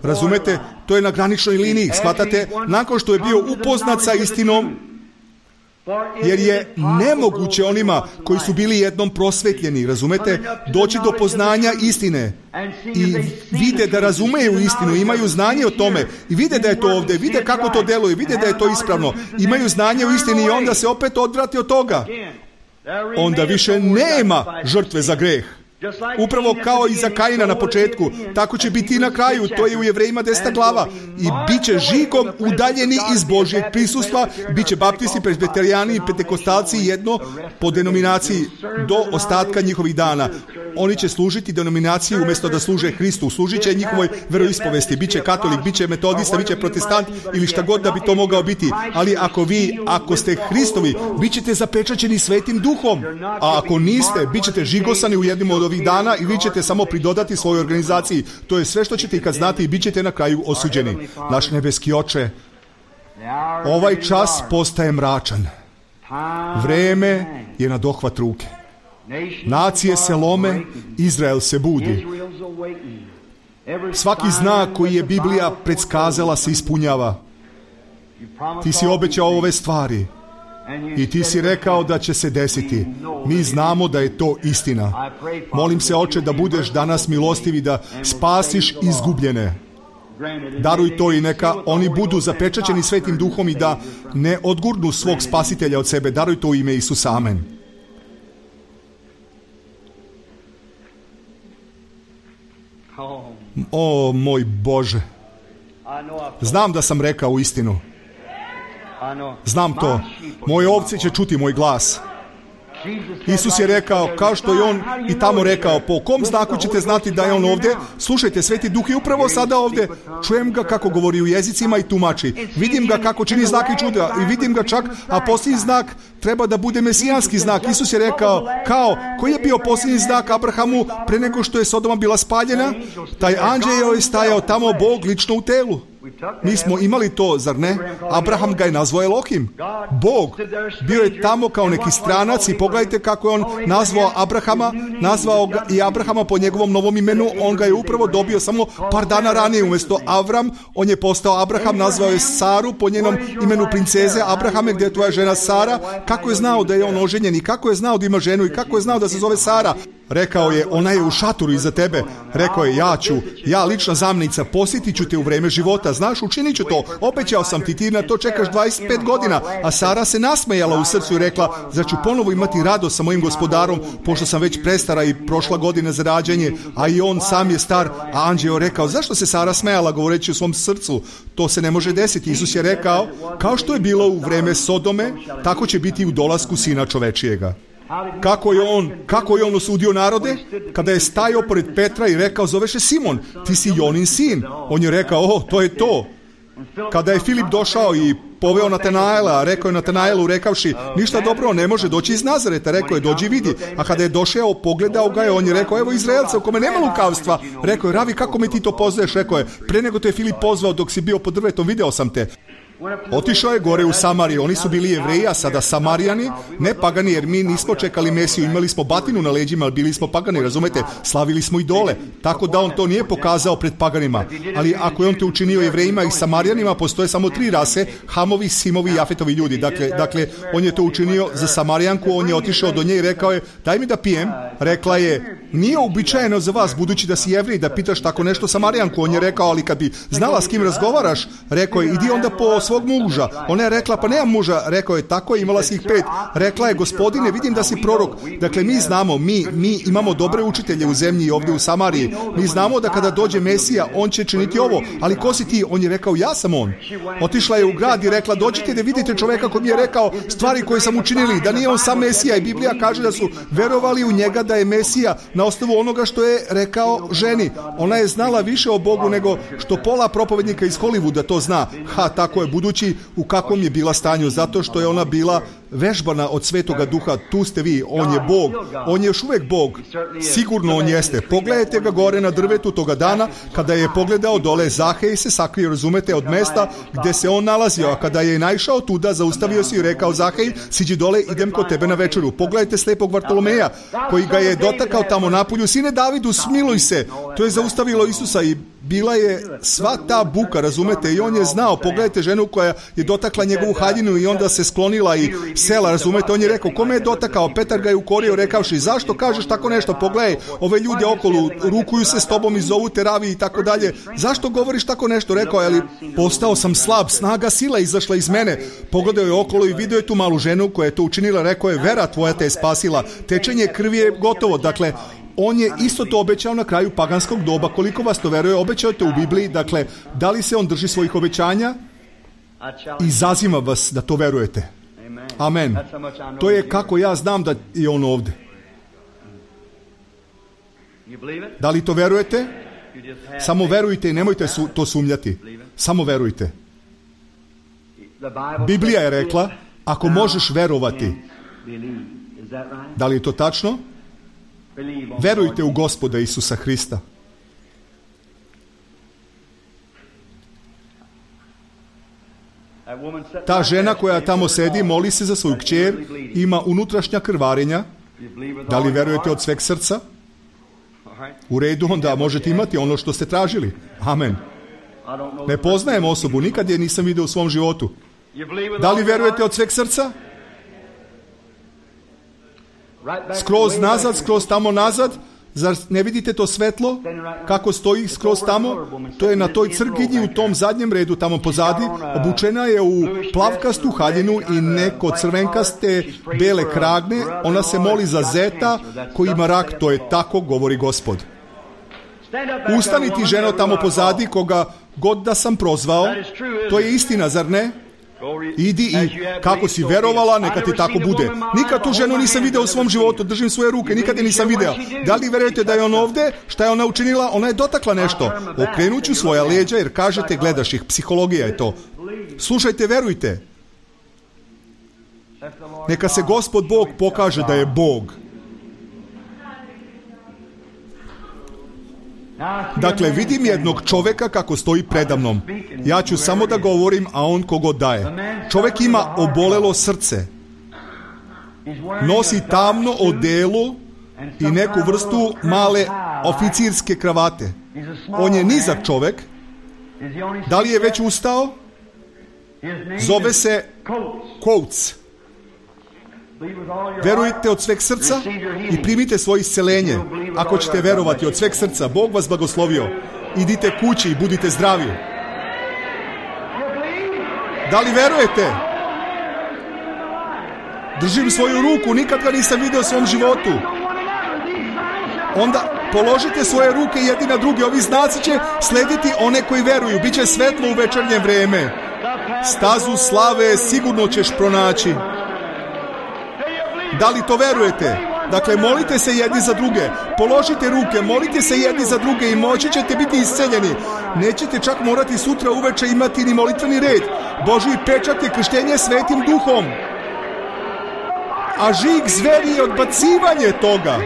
Razumete? To je na graničnoj liniji. Shvatate? Nakon što je bio upoznat sa istinom, jer je nemoguće onima koji su bili jednom prosvetljeni, razumete, doći do poznanja istine i vide da razumeju istinu, imaju znanje o tome i vide da je to ovdje, vide kako to deluje, vide da je to ispravno, imaju znanje o istini i onda se opet odvrate od toga. Onda više nema žrtve za greh. Upravo kao i za Kaina na početku, tako će biti i na kraju, to je u Jevrejima deseta glava. I bit će žigom udaljeni iz Božjeg prisustva, bit će baptisti, presbiterijani i pentekostalci jedno po denominaciji do ostatka njihovih dana. Oni će služiti denominaciji umjesto da služe Hristu, služit će njihovoj veroispovesti, bit će katolik, bit će metodista, bit će protestant ili šta god da bi to mogao biti. Ali ako vi, ako ste Hristovi, bit ćete zapečaćeni Svetim Duhom, a ako niste, bit ćete žigosani u jednom od ovih dana i vi ćete samo pridodati svojoj organizaciji. To je sve što ćete i kad znate i bit ćete na kraju osuđeni. Naš nebeski Oče, ovaj čas postaje mračan. Vreme je na dohvat ruke. Nacije se lome, Izrael se budi. Svaki znak koji je Biblija predskazala se ispunjava. Ti si obećao ove stvari i ti si rekao da će se desiti. Mi znamo da je to istina. Molim se, Oče, da budeš danas milostiv i da spasiš izgubljene. Daruj to i neka oni budu zapečaćeni Svetim Duhom i da ne odgurnu svog spasitelja od sebe. Daruj to u ime Isusa. Amen. O, moj Bože, znam da sam rekao istinu. Znam to. Moje ovce će čuti moj glas. Isus je rekao, kao što je on i tamo rekao, po kom znaku ćete znati da je on ovdje? Slušajte, Sveti Duh je upravo sada ovdje. Čujem ga kako govori u jezicima i tumači. Vidim ga kako čini znak i čuda i vidim ga čak, a posljednji znak treba da bude mesijanski znak. Isus je rekao, kao, koji je bio posljednji znak Abrahamu pre nego što je Sodoma bila spaljena? Taj anđeo je stajao tamo, Bog lično u telu. Mi smo imali to, zar ne? Abraham ga je nazvao Elohim. Bog. Bio je tamo kao neki stranac i pogledajte kako je on nazvao Abrahama, nazvao ga i Abrahama po njegovom novom imenu. On ga je upravo dobio samo par dana ranije. Umjesto Avram, on je postao Abraham, nazvao je Saru po njenom imenu princeze. Abrahame, gdje je tvoja žena Sara? Kako je znao da je on oženjen i kako je znao da ima ženu i kako je znao da se zove Sara? Rekao je, ona je u šatoru iza tebe. Rekao je, ja ću, ja lična zamjenica, posjetit ću te u vreme života. Znaš, učinit ću to. Obećao sam ti, ti na to čekaš dvadeset pet godina. A Sara se nasmejala u srcu i rekla, zar ću ponovo imati radost sa mojim gospodarom, pošto sam već prestara i prošla godina za rađanje, a i on sam je star. A anđeo rekao, zašto se Sara smejala, govoreći u svom srcu? To se ne može desiti. Isus je rekao, kao što je bilo u vreme Sodome, tako će biti u dolasku Sina čovečijega. Kako je on, kako je on osudio narode? Kada je stajao pored Petra i rekao, zoveš se Simon, ti si Jonin sin. On je rekao, o, to je to. Kada je Filip došao i poveo Natanaela, rekao je Natanaelu rekavši, ništa dobro, ne može doći iz Nazareta. Rekao je, dođi vidi. A kada je došao, pogledao ga je, on je rekao, evo Izraelca u kome nema lukavstva. Rekao je, Ravi, kako mi ti to poznaješ? Rekao je, pre nego te je Filip pozvao dok si bio pod drvetom, video sam te. Otišao je gore u Samariju. Oni su bili Jevreji, a sada Samarijani, ne pagani, jer mi nismo čekali Mesiju, imali smo batinu na leđima, ali bili smo pagani, razumete, slavili smo idole, tako da on to nije pokazao pred paganima. Ali ako je on to učinio Jevrejima i Samarijanima, postoje samo tri rase, Hamovi, Simovi i Jafetovi ljudi. Dakle, dakle, on je to učinio za Samarijanku, on je otišao do nje i rekao je, daj mi da pijem. Rekla je, nije uobičajeno za vas, budući da si Jevrej, da pitaš tako nešto Samarijanku. On je rekao, ali kad bi znala s kim razgovaraš, rekao je, idi onda po svog muža. Ona je rekla, pa nemam muža. Rekao je, tako je, imala si ih pet. Rekla je, gospodine, vidim da si prorok. Dakle, mi znamo, mi, mi imamo dobre učitelje u zemlji i ovdje u Samariji. Mi znamo da kada dođe Mesija, on će činiti ovo. Ali ko si ti? On je rekao, ja sam on. Otišla je u grad i rekla, dođite da vidite čoveka koji mi je rekao stvari koje sam učinili, da nije on sam Mesija. I Biblija kaže da su verovali u njega da je Mesija na osnovu onoga što je rekao ženi. Ona je znala više o Bogu nego što pola propovednika iz Hollywooda to zna. Ha, tako je, budući u kakvom je bila stanju, zato što je ona bila vežbana od Svetoga Duha. Tu ste vi, on je Bog, on je još uvijek Bog, sigurno on jeste. Pogledajte ga gore na drvetu toga dana, kada je pogledao dole, Zahej se sakrio, razumete, od mesta gdje se on nalazio, a kada je naišao tuda, zaustavio se i rekao, Zahej, siđi dole, idem kod tebe na večeru. Pogledajte slepog Vartolomeja, koji ga je dotakao tamo napolju, sine Davidu, smiluj se. To je zaustavilo Isusa i bila je sva ta buka, razumete, i on je znao. Pogledajte ženu koja je dotakla njegovu haljinu i onda se sklonila i sela, razumete. On je rekao, kome je dotakao? Petar ga je ukorio, rekavši, zašto kažeš tako nešto? Pogledaj, ove ljude okolo rukuju se s tobom i zovu te Ravi i tako dalje. Zašto govoriš tako nešto? Rekao je, ali postao sam slab, snaga sila izašla iz mene. Pogledao je okolo i vidio je tu malu ženu koja je to učinila. Rekao je, vera tvoja te je spasila, tečenje krvi je gotovo. Dakle, on je isto to obećao na kraju paganskog doba. Koliko vas to veruje? Obećao te u Bibliji. Dakle, da li se on drži svojih obećanja? Izazivam vas da to verujete. Amen. To je kako ja znam da je on ovdje. Da li to verujete? Samo verujte i nemojte su, to sumnjati. Samo verujte. Biblija je rekla, ako možeš verovati. Da li je to tačno? Verujte u Gospoda Isusa Hrista. Ta žena koja tamo sedi, moli se za svoju kćer, ima unutrašnja krvarenja. Da li verujete od sveg srca? U redu, onda možete imati ono što ste tražili. Amen. Ne poznajem osobu, nikad je nisam vidio u svom životu. Da li verujete od sveg srca? Skroz nazad, skroz tamo nazad. Zar ne vidite to svetlo? Kako stoji skroz tamo? To je na toj crkinji u tom zadnjem redu tamo pozadi. Obučena je u plavkastu haljinu i neko crvenkaste bele kragne. Ona se moli za zeta koji ima rak. To je tako, govori Gospod. Ustani ti, ženo, tamo pozadi, koga god da sam prozvao. To je istina, zar ne? Idi i kako si verovala, neka ti tako bude. Nikad tu ženu nisam video u svom životu, držim svoje ruke, nikad je nisam video. Da li verujete da je on ovdje? Šta je ona učinila? Ona je dotakla nešto. Okrenut ću svoja leđa jer kažete, gledaš ih, psihologija je to. Slušajte, verujte. Neka se Gospod Bog pokaže da je Bog. Dakle, vidim jednog čoveka kako stoji predamnom. Ja ću samo da govorim, a on kogod daje. Čovek ima obolelo srce. Nosi tamno odelo i neku vrstu male oficirske kravate. On je nizak čovek. Da li je već ustao? Zove se Coates. Verujte od sveg srca i primite svoje isceljenje. Ako ćete verovati od sveg srca, Bog vas blagoslovio. Idite kući i budite zdravi. Da li verujete? Držim svoju ruku, nikad ga nisam vidio u svom životu. Onda položite svoje ruke jedni na druge. Ovi znaci će slediti one koji veruju. Biće svetlo u večernje vreme. Stazu slave sigurno ćeš pronaći. Da li to verujete? Dakle, molite se jedni za druge. Položite ruke, molite se jedni za druge i moći ćete biti isceljeni. Nećete čak morati sutra uveče imati ni molitveni red. Božji pečat je krštenje Svetim Duhom. A žig zveri je odbacivanje toga.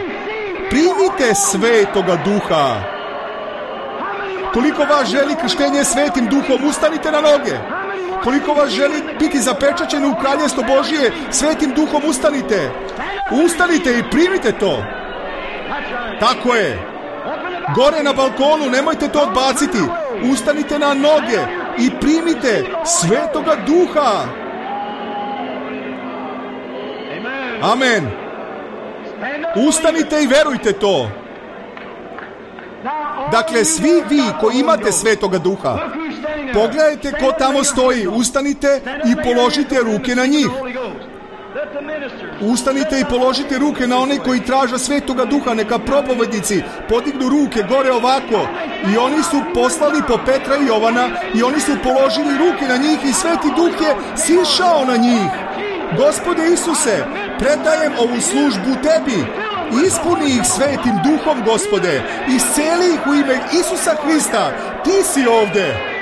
Primite Svetoga Duha. Koliko vas želi krštenje Svetim Duhom, ustanite na noge. Koliko vas želi biti zapečaćeni u kraljestvo Božije Svetim Duhom, ustanite. Ustanite i primite to. Tako je. Gore na balkonu, nemojte to odbaciti. Ustanite na noge i primite Svetoga Duha. Amen. Ustanite i verujte to. Dakle, svi vi koji imate Svetoga Duha, pogledajte ko tamo stoji, ustanite i položite ruke na njih. Ustanite i položite ruke na one koji traže Svetoga Duha, neka propovednici podignu ruke gore ovako. I oni su poslali po Petra i Jovana i oni su položili ruke na njih i Sveti Duh je sišao na njih. Gospode Isuse, predajem ovu službu tebi. Ispuni ih Svetim Duhom, Gospode. Isceli ih u ime Isusa Hrista. Ti si ovde.